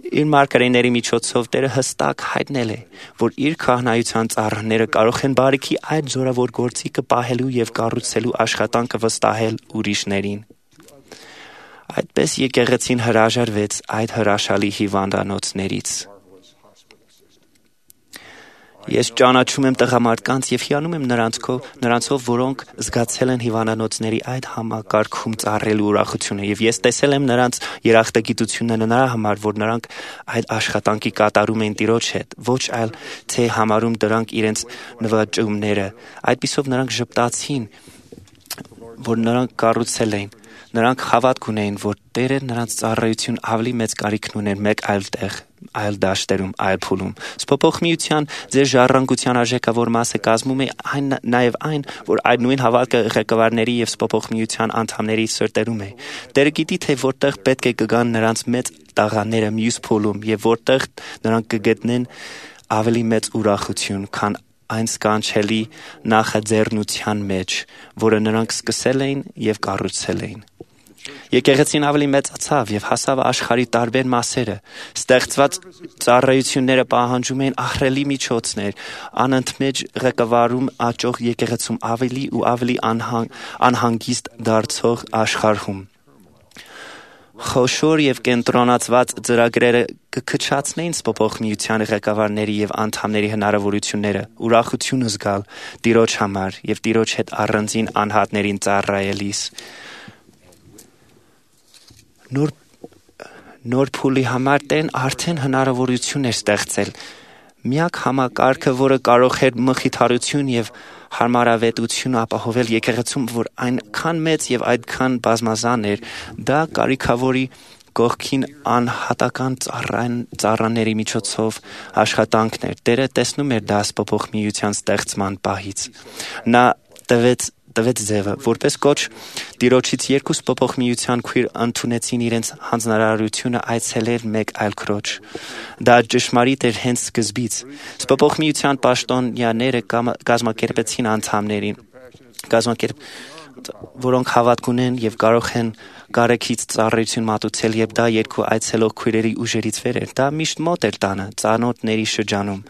Իր մարգարեների միջոցով Տերը հստակ հայտնել է, որ իր քահանայության ծառաները կարող են բարիքի այդ զորավոր գործիքը պահելու եւ կառուցելու աշխատանքը վստահել ուրիշներին։ Այդպես եկեղեցին հրաժարվեց այդ հրաշալի հիվանդանոցներից։ Ես ճանաչում եմ տղամարդկանց եւ հիանում եմ նրանցով, որոնք զգացել են հիվանդանոցների այդ համակարգում ծառայելու ուրախությունը, եւ ես տեսել եմ նրանց երախտագիտությունը նրա համար, որ նրանք այդ աշխատանքի կատարում են Տիրոջ հետ, ոչ այլ թե համարում դրանք իրենց նվաճումները։ Այդպիսով նրանք ժպտացին, որ նրանք կառուցել էին։ Նրանք հավատք ունեին, որ Տերը նրանց ծառայություն ավելի մեծ կարիքն ուներ մեկ այլ տեղ, այլ դաշտերում, այլ փուլում։ Սփոփող միության ձեր ժառանգության արժեքավոր մասը կազմում է նաև այն, որ այդ նույն հավատքը ղեկավարների եւ սփոփող միության անդամների սրտերում է։ Տերը գիտի, թե որտեղ պետք է կգան նրանց մեծ տաղաները մյուս փուլում եւ որտեղ նրանք կգտնեն ավելի մեծ ուրախություն, քան այն սկանչելի նախաձեռնության մեջ, որը նրանք սկսել էին եւ կառուցել էին։ Եկեղեցին ավելի մեծացավ եւ հասավ աշխարհի տարբեր մասերը։ Ստեղծված ծառայությունները պահանջում էին ահռելի միջոցներ, անընդմեջ ղեկավարում աճող եկեղեցում ավելի ու ավելի անհանգիստ դարձող աշխարհում։ Խոշոր եւ կենտրոնացված ծրագրերը կքչացնեին սփոփող միության ղեկավարների եւ անդամների հնարավորությունները, ուրախությունը զգալ Տիրոջ համար եւ Տիրոջ հետ առանձին անհատներին ծառայելիս։ Նոր փուլի համար Տերն արդեն հնարավորություն էր ստեղծել։ Միակ համակարգը, որը կարող էր մխիթարություն եւ հարմարավետություն ապահովել եկեղեցում, որ այնքան մեծ եւ այդքան բազմազան էր, դա կարիքավորի կողքին անհատական ծառաների միջոցով աշխատանքներ։ Տերը տեսնում էր դա սփոփող միության ստեղծման պահից։ Նա տվեց ձևը, որպես կոչ Տիրոջից երկու սփոփող միության քույր ընդունեցին իրենց հանձնարարությունը այցելել մեկ այլ քրոջ։ Դա ճշմարիտ էր հենց սկզբից։ Սփոփող միության պաշտոնյաները կազմակերպեցին անդամներին, որոնք հավատք ունեն եւ կարող են կարեկից ծառայություն մատուցել, եւ դա երկու այցելող քույրերի ուժերից վեր էր։ Դա միշտ մոտ էր տանը, ծանոթների շրջանում։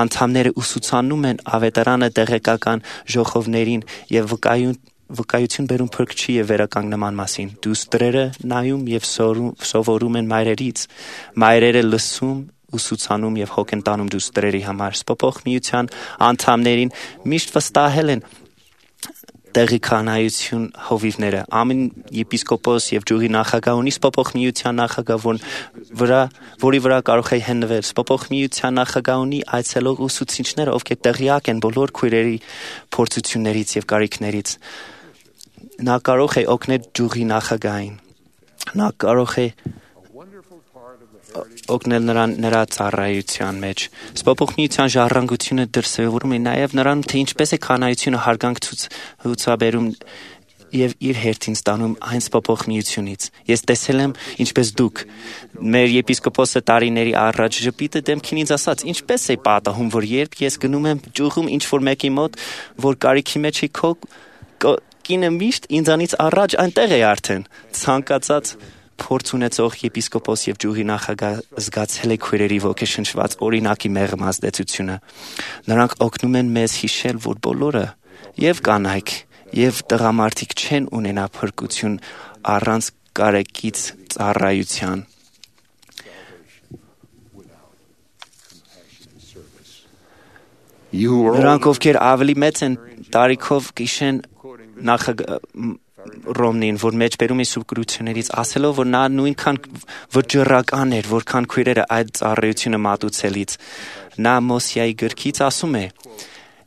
Անդամները ուսուցանում են ավետարանը տեղեկական ժողովներին եւ վկայություն բերում փրկչի եւ վերականգնման մասին։ Դուստրերը նայում եւ սովորում են մայրերից, մայրերը լսում, ուսուցանում եւ հոգ են տանում դուստրերի համար։ Սփոփող միության անդամներին միշտ վստահել են տեղի կանայություն հովիվները։ Ամեն եպիսկոպոս եւ ջուղի նախագահ ունի սփոփող միության նախագահ, որի վրա կարող է հենվել։ Սփոփող միության նախագահ ունի այցելող ուսուցիչներ, ովքեր տեղյակ են բոլոր քույրերի փորձություններից եւ կարիքներից։ Նա կարող է օգնել ջուղի նախագահին։ Նա կարող է օգնել նրա ծառայության մեջ։ Սփոփող միության ժառանգությունը դրսևորում է նաև նրան, թե ինչպես է կանայությունը հարգանք ցուցաբերում եւ իր հերթին ստանում այն սփոփող միությունից։ Ես տեսել եմ, ինչպես դուք։ Մեր եպիսկոպոսը տարիների առաջ ժպիտը դեմքին ինձ ասաց. ինչպես է պատահում, որ երբ ես գնում եմ ջուղում ինչ-որ մեկի մոտ, որ կարիքի մեջ է քո կինը միշտ ինձանից առաջ այնտեղ է արդեն։ Ցանկացած փորձ ունեցող եպիսկոպոս եւ ջուղի նախագահ զգացել է քույրերի ոգեշնչված օրինակի մեղմ ազդեցությունը։ Նրանք օգնում են մեզ հիշել, որ բոլորը եւ կանայք եւ տղամարդիկ չեն ունենա փրկություն առանց կարեկից ծառայության։ Նրանք, ովքեր ավելի մեծ են տարիքով, կիշեն Ռոմնին, որ մեջբերում է սուբկրություններից, ասելով, որ նա նույնքան վճռական էր, որքան քույրերը այդ ծառայությունը մատուցելից։ Նա Մոսեի գրքից ասում է.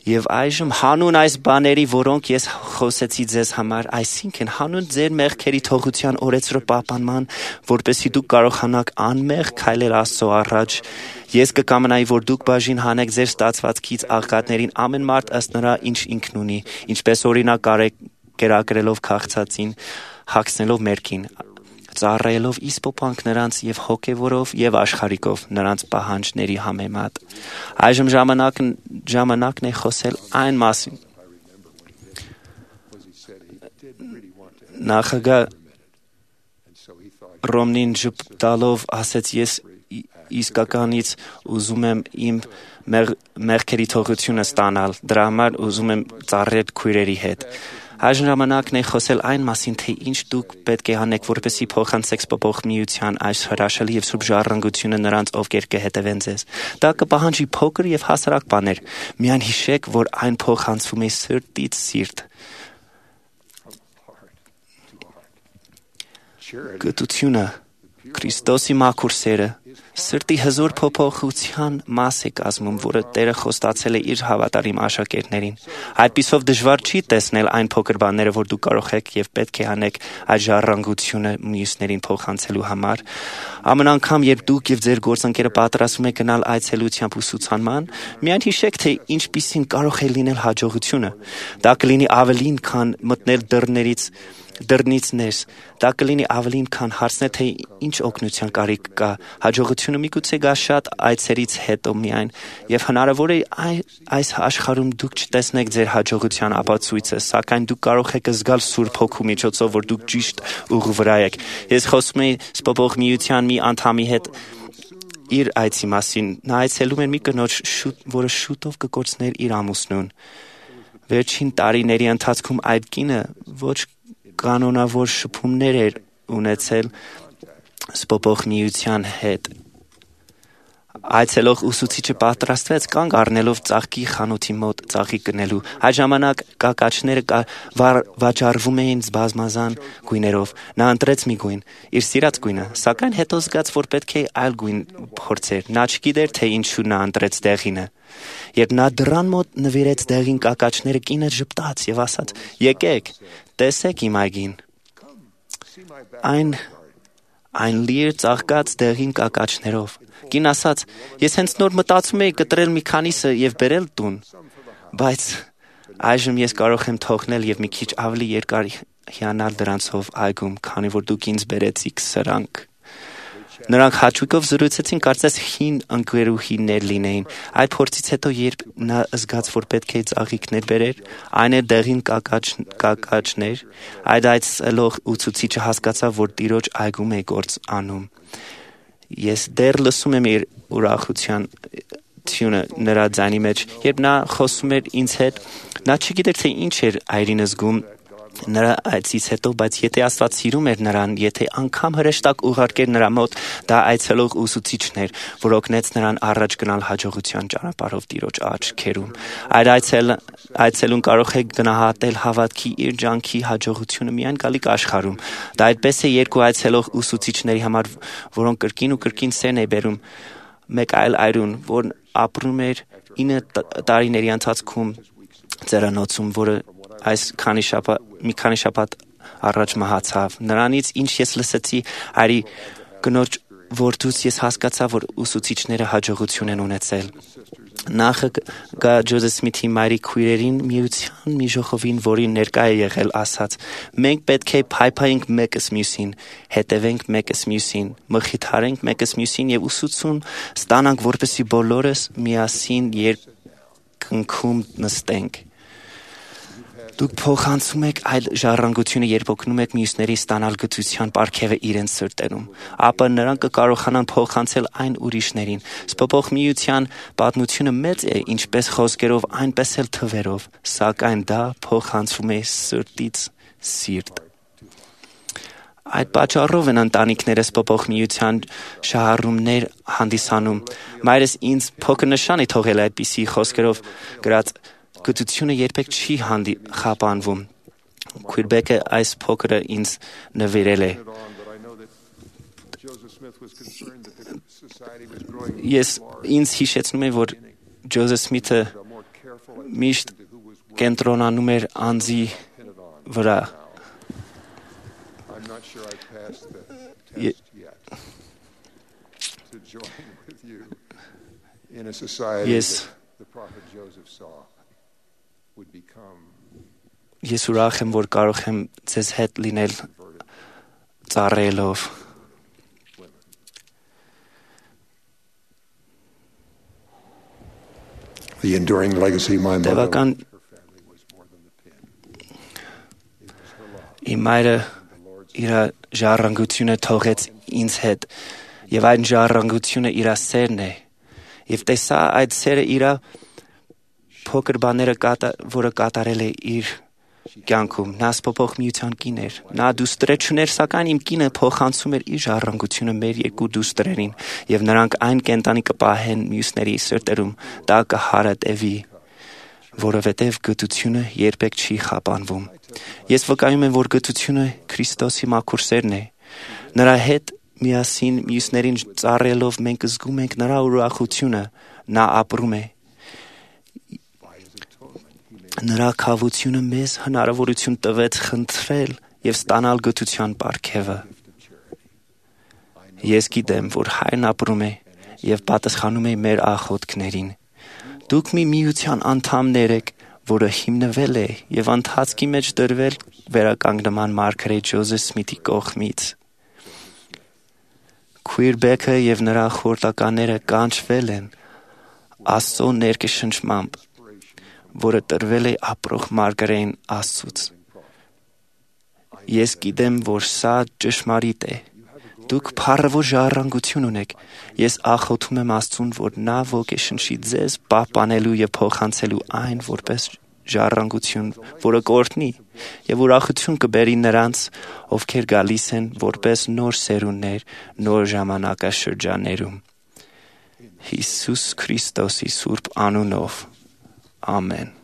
«Եվ այժմ հանուն այս բաների, որոնք ես խոսեցի ձեզ համար, այսինքն հանուն ձեր մեղքերի թողության օրեցրո պահպանման, որպեսզի դուք կարողանաք անմեղ քայլել Աստծո առաջ, ես կկամենայի, որ դուք բաժին հանեք ձեր ստացվածքից աղքատներին ամեն մարդ ըստ նրա, ինչ ինքն ունի, ինչպես օրինակ կերակրելով քաղցածին, հագցնելով մերկին, ծառայելով իսպոպանք նրանց եւ հոգեվորով եւ աշխարհիկով նրանց պահանջների համեմատ»։ Այժմ ժամանակն է խոսել այն մասին։ Նախագահ Ռոմնին ժպտալով ասեց. «Ես իսկականից ուզում եմ իմ մեղքերի թողությունը ստանալ, դրա համար ուզում եմ ծառայել քույրերի հետ»։ Այժմ ժամանակն է խոսել այն մասին, թե ինչ դուք պետք է անեք, որպեսզի փոխանցեք սփոփող միության այս հրաշալի եւ սուրբ ժառանգությունը նրանց, ովքեր կհետևեն ձեզ։ Դա կպահանջի փոքր եւ հասարակ բաներ։ Միայն հիշեք, որ այն փոխանցվում է սրտից սիրտ։ Գտությունը, Քրիստոսի մաքուր սերը, սրտի հզոր փոփոխության մաս է կազմում, որը Տերը խոստացել է իր հավատարիմ աշակերտներին։ Այդպիսով դժվար չի տեսնել այն փոքր բաները, որ դուք կարող եք եւ պետք է անեք այդ ժառանգությունը մյուսներին փոխանցելու համար։ Ամեն անգամ, երբ դուք եւ ձեր գործընկերը պատրաստվում եք գնալ այցելությամբ ուսուցանման, միայն հիշեք, թե ինչպիսին կարող է լինել հաջողությունը։ Դա կլինի ավելին, քան մտնել դռնից ներս։ Դա կլինի ավելին, քան հարցնել, թե ինչ օգնության կարիք կա։ Հաջողությունը միգուցե գա շատ այցերից հետո միայն, եւ հնարավոր է այս աշխարհում դուք չտեսնեք ձեր հաջողության ապացույցը, սակայն դուք կարող եք զգալ Սուրբ Հոգու միջոցով, որ դուք ճիշտ ուղու վրա եք։ Ես խոսում եմ սփոփող միության մի անդամի հետ իր այցի մասին։ Նա այցելում էր մի կնոջ, որը շուտով կկորցներ իր ամուսնուն։ Վերջին տարիների ընթացքում այդ կինը ոչ կանոնավոր շփումներ էր ունեցել սփոփող միության հետ։ Այցելող ուսուցիչը պատրաստվեց կանգ առնելով ծաղկի խանութի մոտ ծաղի կնելու։ Այդ ժամանակ կակաչները վաճառվում էին բազմազան գույներով։ Նա ընտրեց մի գույն, իր սիրած գույնը, սակայն հետո զգաց, որ պետք է այլ գույն փորձեր։ Նա չգիտեր, թե ինչու նա ընտրեց դեղինը։ Երբ նա դռան մոտ նվիրեց դեղին կակաչները, կինը ժպտաց եւ ասաց. «Եկեք, տեսեք իմ այգին»։ Այն լի էր ծաղկած դեղին կակաչներով։ Կին ասաց. «Ես հենց նոր մտածում էի կտրել մի քանիսը եւ բերել տուն, բայց այժմ ես կարող եմ թողնել եւ մի քիչ ավելի երկար հիանալ դրանցով այգում, քանի որ դուք ինձ բերեցիք սրանք»։ Նրանք հաճույքով զրուցեցին, կարծես հին ընկերուհիներ լինեին։ Այդ փորձից հետո, երբ նա զգաց, որ պետք է ծաղիկներ բերեր, այն էր դեղին կակաչներ, այդ այցելող ուսուցիչը հասկացավ, որ տիրոջ այգում է գործ անում։ Ես դեռ լսում եմ իր ուրախությունը նրա ձայնի մեջ, երբ նա խոսում էր ինձ հետ, նա չգիտեր, թե ինչ էր այրին զգում նրա այցից հետո, բայց եթե Աստված սիրում էր նրան, եթե անգամ հրեշտակ ուղարկեր նրա մոտ, դա այցելող ուսուցիչն էր, որ օգնեց նրան առաջ գնալ հաջողության ճանապարհով Տիրոջ աչքերում։ Այդ այցելուն կարող է գնահատել հավատքի իր ջանքի հաջողությունը միայն գալիք աշխարհում։ Դա այդպես է երկու այցելող ուսուցիչների համար, որոնք կրկին ու կրկին սերն է բերում մեկ այլ այրուն, որն ապրում էր 9 տարիների ընթացքում ծերանոցում, որը մի քանի շաբաթ առաջ մահացավ։ Նրանից, ինչ ես լսեցի այրի կնոջ որդուց, ես հասկացա, որ ուսուցիչները հաջողություն են ունեցել։ Նախը գա Ջոզեֆ Սմիթի մայրի քույրերին միության մի ժողովին, որին ներկա է եղել, ասաց. «Մենք պետք է փայփայենք մեկս մյուսին, հետևենք մեկս մյուսին, մխիթարենք մեկս մյուսին եւ ուսուցում ստանանք, որպեսզի բոլորս միասին երկնքում նստենք»։ Դուք փոխանցում եք այդ ժառանգությունը, երբ օգնում եք մյուսների ստանալ գթության պարգևը իրենց սրտերում, ապա նրանք կկարողանան փոխանցել այն ուրիշներին։ Սփոփող միության պատմությունը մեծ է ինչպես խոսքերով, այնպես էլ թվերով, սակայն դա փոխանցվում է սրտից սիրտ։ Այդ պատճառով են ընտանիքները սփոփող միության շահառումներ հանդիսանում։ Մայրս ինձ փոքր նշան է թողել այդպիսի խոսքերով գրած. «Գթությունը երբեք չի խափանվում»։ Քույրբեկը այս փոքրը ինձ նվիրել է։ Ինձ հիշեցնում է, որ Ջոզեֆ Սմիթը միշտ կենտրոնանում էր անձի վրա։ Ես ուրախ եմ, որ կարող եմ ձեզ հետ լինել ծառայելով։ Տևական իմ մայրը իր ժառանգությունը թողեց ինձ հետ, եւ այն ժառանգությունը իր սերն է, եւ տեսա այդ սերը իր փոքր բաները, որը կատարել է իր կյանքում։ Նա սփոփող միության կին էր։ Նա դուստր չուներ, սակայն իմ կինը փոխանցում էր իր ժառանգությունը մեր երկու դուստրերին, եւ նրանք այն կենտանի կպահեն մյուսների սրտերում, դա կհարատևի, որովհետեւ գթությունը երբեք չի խափանվում։ Ես վկայում եմ, որ գթությունը Քրիստոսի մաքուր սերն է։ Նրա հետ միասին մյուսներին ծառայելով մենք զգում ենք նրա ուրախությունը, նա ապրում է։ Նրա քավությունը մեզ հնարավորություն տվեց խնդրել եւ ստանալ գթության պարգևը։ Ես գիտեմ, որ Հայրն ապրում է եւ պատասխանում է մեր աղոթքներին։ Դուք մի միության անդամներ եք, որը հիմնվել է եւ ընթացքի մեջ դրվել վերականգնման մարգարետ Ջոզեֆ Սմիթի կողմից։ Քույրբեկը եւ նրա խորտականները կանչվել են Աստծո ներկայշնչմամբ, որը տրվել է ապրող մարգարեին Աստծուց։ Ես գիտեմ, որ սա ճշմարիտ է։ Դուք փառավոր ժառանգություն ունեք։ Ես աղոթում եմ Աստծուն, որ նա ոգեշնչի ձեզ պահպանելու եւ փոխանցելու այն որպես ժառանգություն, որը կօրհնի եւ ուրախություն կբերի նրանց, ովքեր գալիս են որպես նոր սերունդներ նոր ժամանակաշրջաններում։ Հիսուս Քրիստոսի սուրբ անունով։ Amen.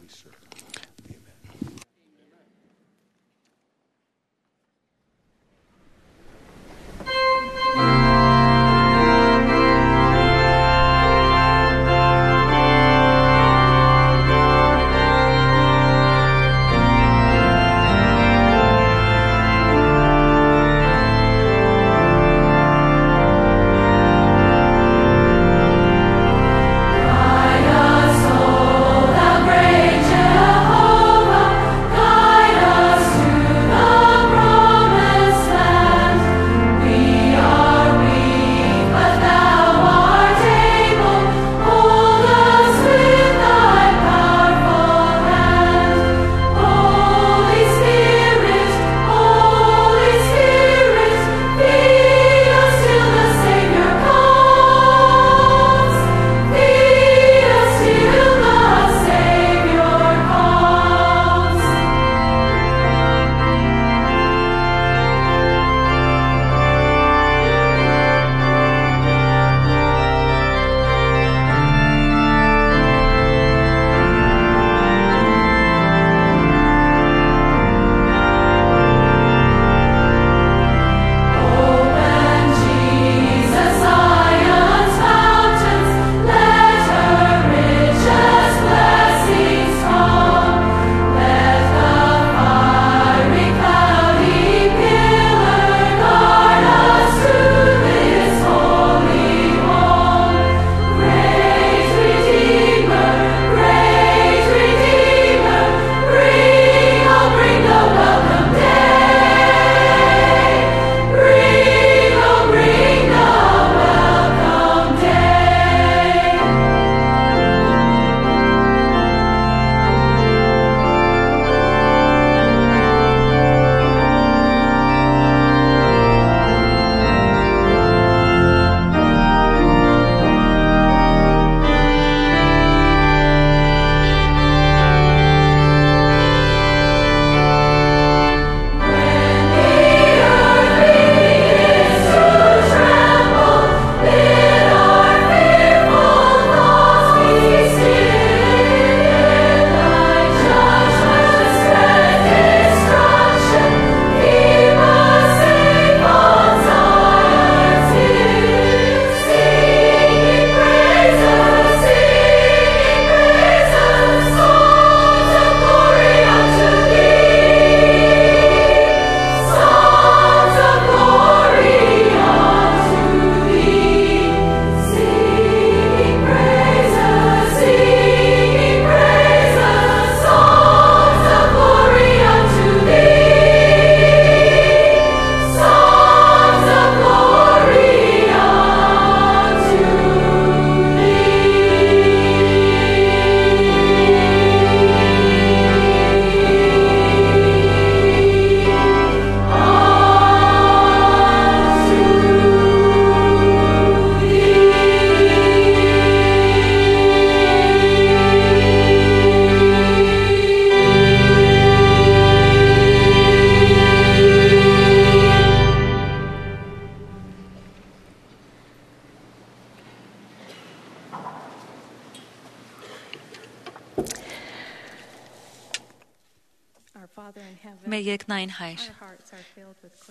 Մեր երկնային Հայր,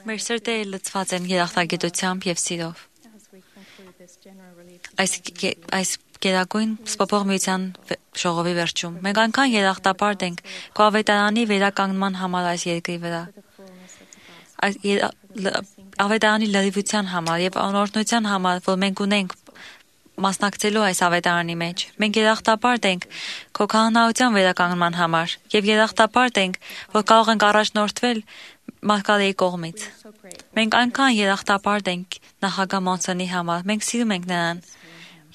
մեր սրտերը լցված են երախտագիտությամբ եւ սիրով։ Այս գերագույն սփոփող միության ժողովի վերջում մենք այնքան երախտապարտ ենք քո ավետարանի վերականգնման համար այս երկրի վրա։ Ավետարանի լրիվության համար եւ անօրտնության համար, որ մենք ունենք մասնակցելու այս ավետարանի մեջ։ Մենք երախտապարտ ենք քո քահանայության վերականգնման համար եւ երախտապարտ ենք, որ կարող ենք առաջնորդվել Մարգարեի կողմից։ Մենք այնքան երախտապարտ ենք նախագահ Մոնսոնի համար։ Մենք սիրում ենք նրան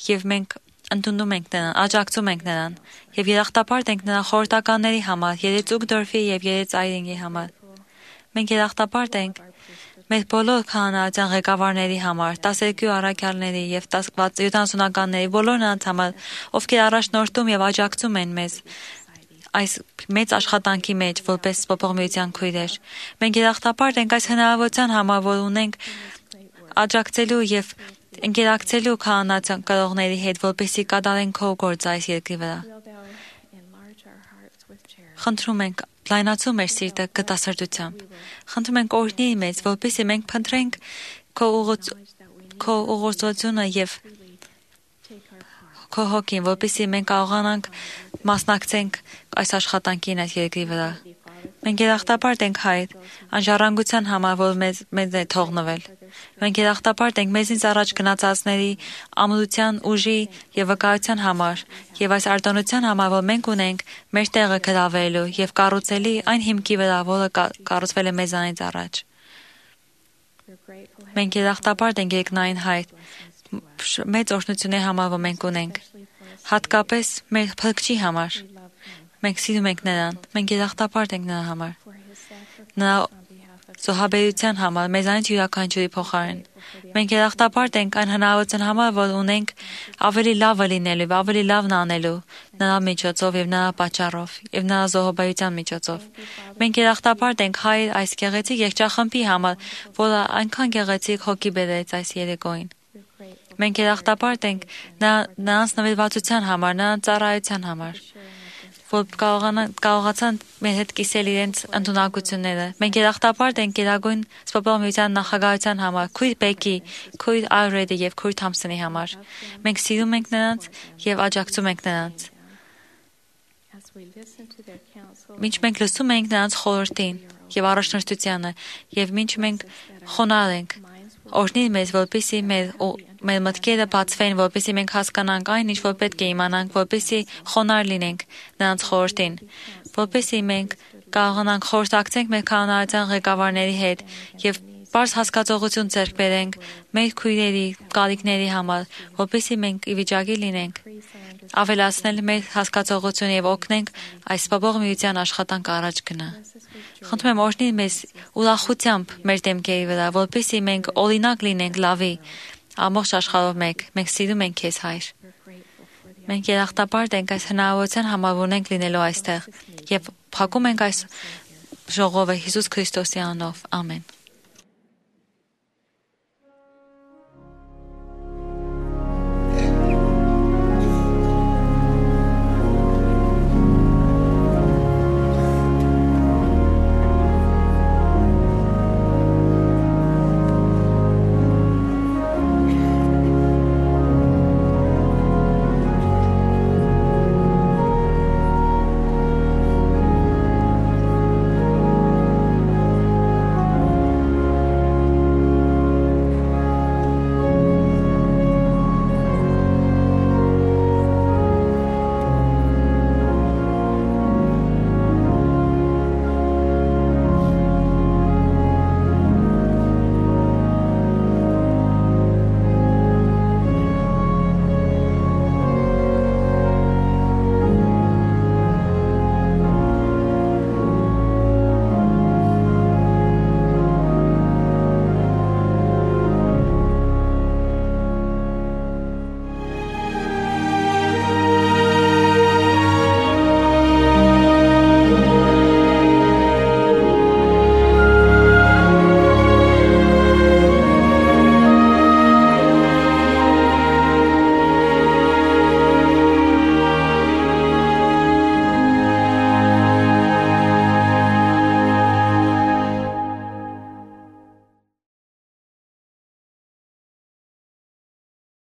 եւ մենք ընդունում ենք նրան, աջակցում ենք նրան եւ երախտապարտ ենք նրա խորհրդականների համար, Երեցուկ Դորֆի եւ Երեց Այրինգի համար։ Մենք երախտապարտ ենք մեր բոլոր քահանայության ղեկավարների համար, 12 առաքյալների եւ 70-ականների բոլոր նրանց համար, ովքեր առաջնորդում եւ աջակցում են մեզ այս մեծ աշխատանքի մեջ որպես սփոփող միության քույրեր։ Մենք երախտապարտ ենք այս հնարավորության համար, որ ունենք աջակցելու եւ ընկերակցելու քահանայության կրողների հետ, որպեսզի կատարեն քո գործը այս երկրի վրա։ Խնդրում ենք լայնացու մեր սիրտը գտասրտությամբ։ Խնդրում ենք օրհնի մեզ, որպեսզի մենք փնտրենք քո ուղղորդությունը եւ քո հոգին, որպեսզի մենք կարողանանք մասնակցենք այս աշխատանքին այս երկրի վրա։ Մենք երախտապարտ ենք Հայր, անժառանգության համար, որ մեզ է թողնվել։ Մենք երախտապարտ ենք մեզնից առաջ գնացածների ամրության, ուժի եւ վկայության համար եւ այս արտոնության համար, որ մենք ունենք մեր տեղը գրավելու եւ կառուցելի այն հիմքի վրա, որը կառուցվել է մեզանից առաջ։ Մենք երախտապարտ ենք երկնային Հայր, մեծ օրհնությունների համար, որ մենք ունենք, հատկապես մեր Փրկչի համար։ Մենք սիրում ենք նրան, մենք երախտապարտ ենք նրա համար, նրա զոհաբերության համար, մեզանից յուրաքանչյուրի փոխարեն։ Մենք երախտապարտ ենք այն հնարավորության համար, որ ունենք ավելի լավը լինելու, ավելի լավն անելու նրա միջոցով եւ նրա պատճառով եւ նրա զոհաբերության միջոցով։ Մենք երախտապարտ ենք Հայր այս գեղեցիկ երգչախմբի համար, որը այնքան գեղեցիկ հոգի բերեց այս երեկոյին։ Մենք երախտապարտ ենք նրանց նվիրվածության համար, նրանց ծառայության համար, որ կարողացան մեր հետ կիսել իրենց ընդունակությունները։ Մենք երախտապարտ ենք Գերագույն սփոփող միության նախագահության համար, քույր Բեկի, քույր Արրեդի եւ քույր Թամսոնի համար։ Մենք սիրում ենք նրանց եւ աջակցում ենք նրանց։ Մինչ մենք լսում ենք նրանց խորհրդին եւ առաջնորդությանը եւ մինչ մենք խոնարհ ենք, օրհնի մեզ, որպեսզի մեր մտքերը բացվեն, որպեսզի մենք հասկանանք այն, ինչ որ պետք է իմանանք, որպեսզի խոնարհ լինենք նրանց խորհրդին, որպեսզի մենք կարողանանք խորհրդակցենք մեր քահանայության ղեկավարների հետ եւ բարձ հասկացողություն ձեռք բերենք մեր քույրերի կարիքների համար, որպեսզի մենք ի վիճակի լինենք ավելացնել մեր հասկացողությունը եւ օգնենք այս սփոփող միության աշխատանքը առաջ գնա։ Խնդրում եմ օրհնի մեզ ուրախությամբ մեր դեմքերի վրա, որպեսզի մենք օրինակ լինենք լավի ամբողջ աշխարհով մենք սիրում ենք քեզ Հայր։ Մենք երախտապարտ ենք այս հնարավորության համար, որ ունենք լինելու այստեղ եւ փակում ենք այս ժողովը Հիսուս Քրիստոսի անունով։ Ամեն։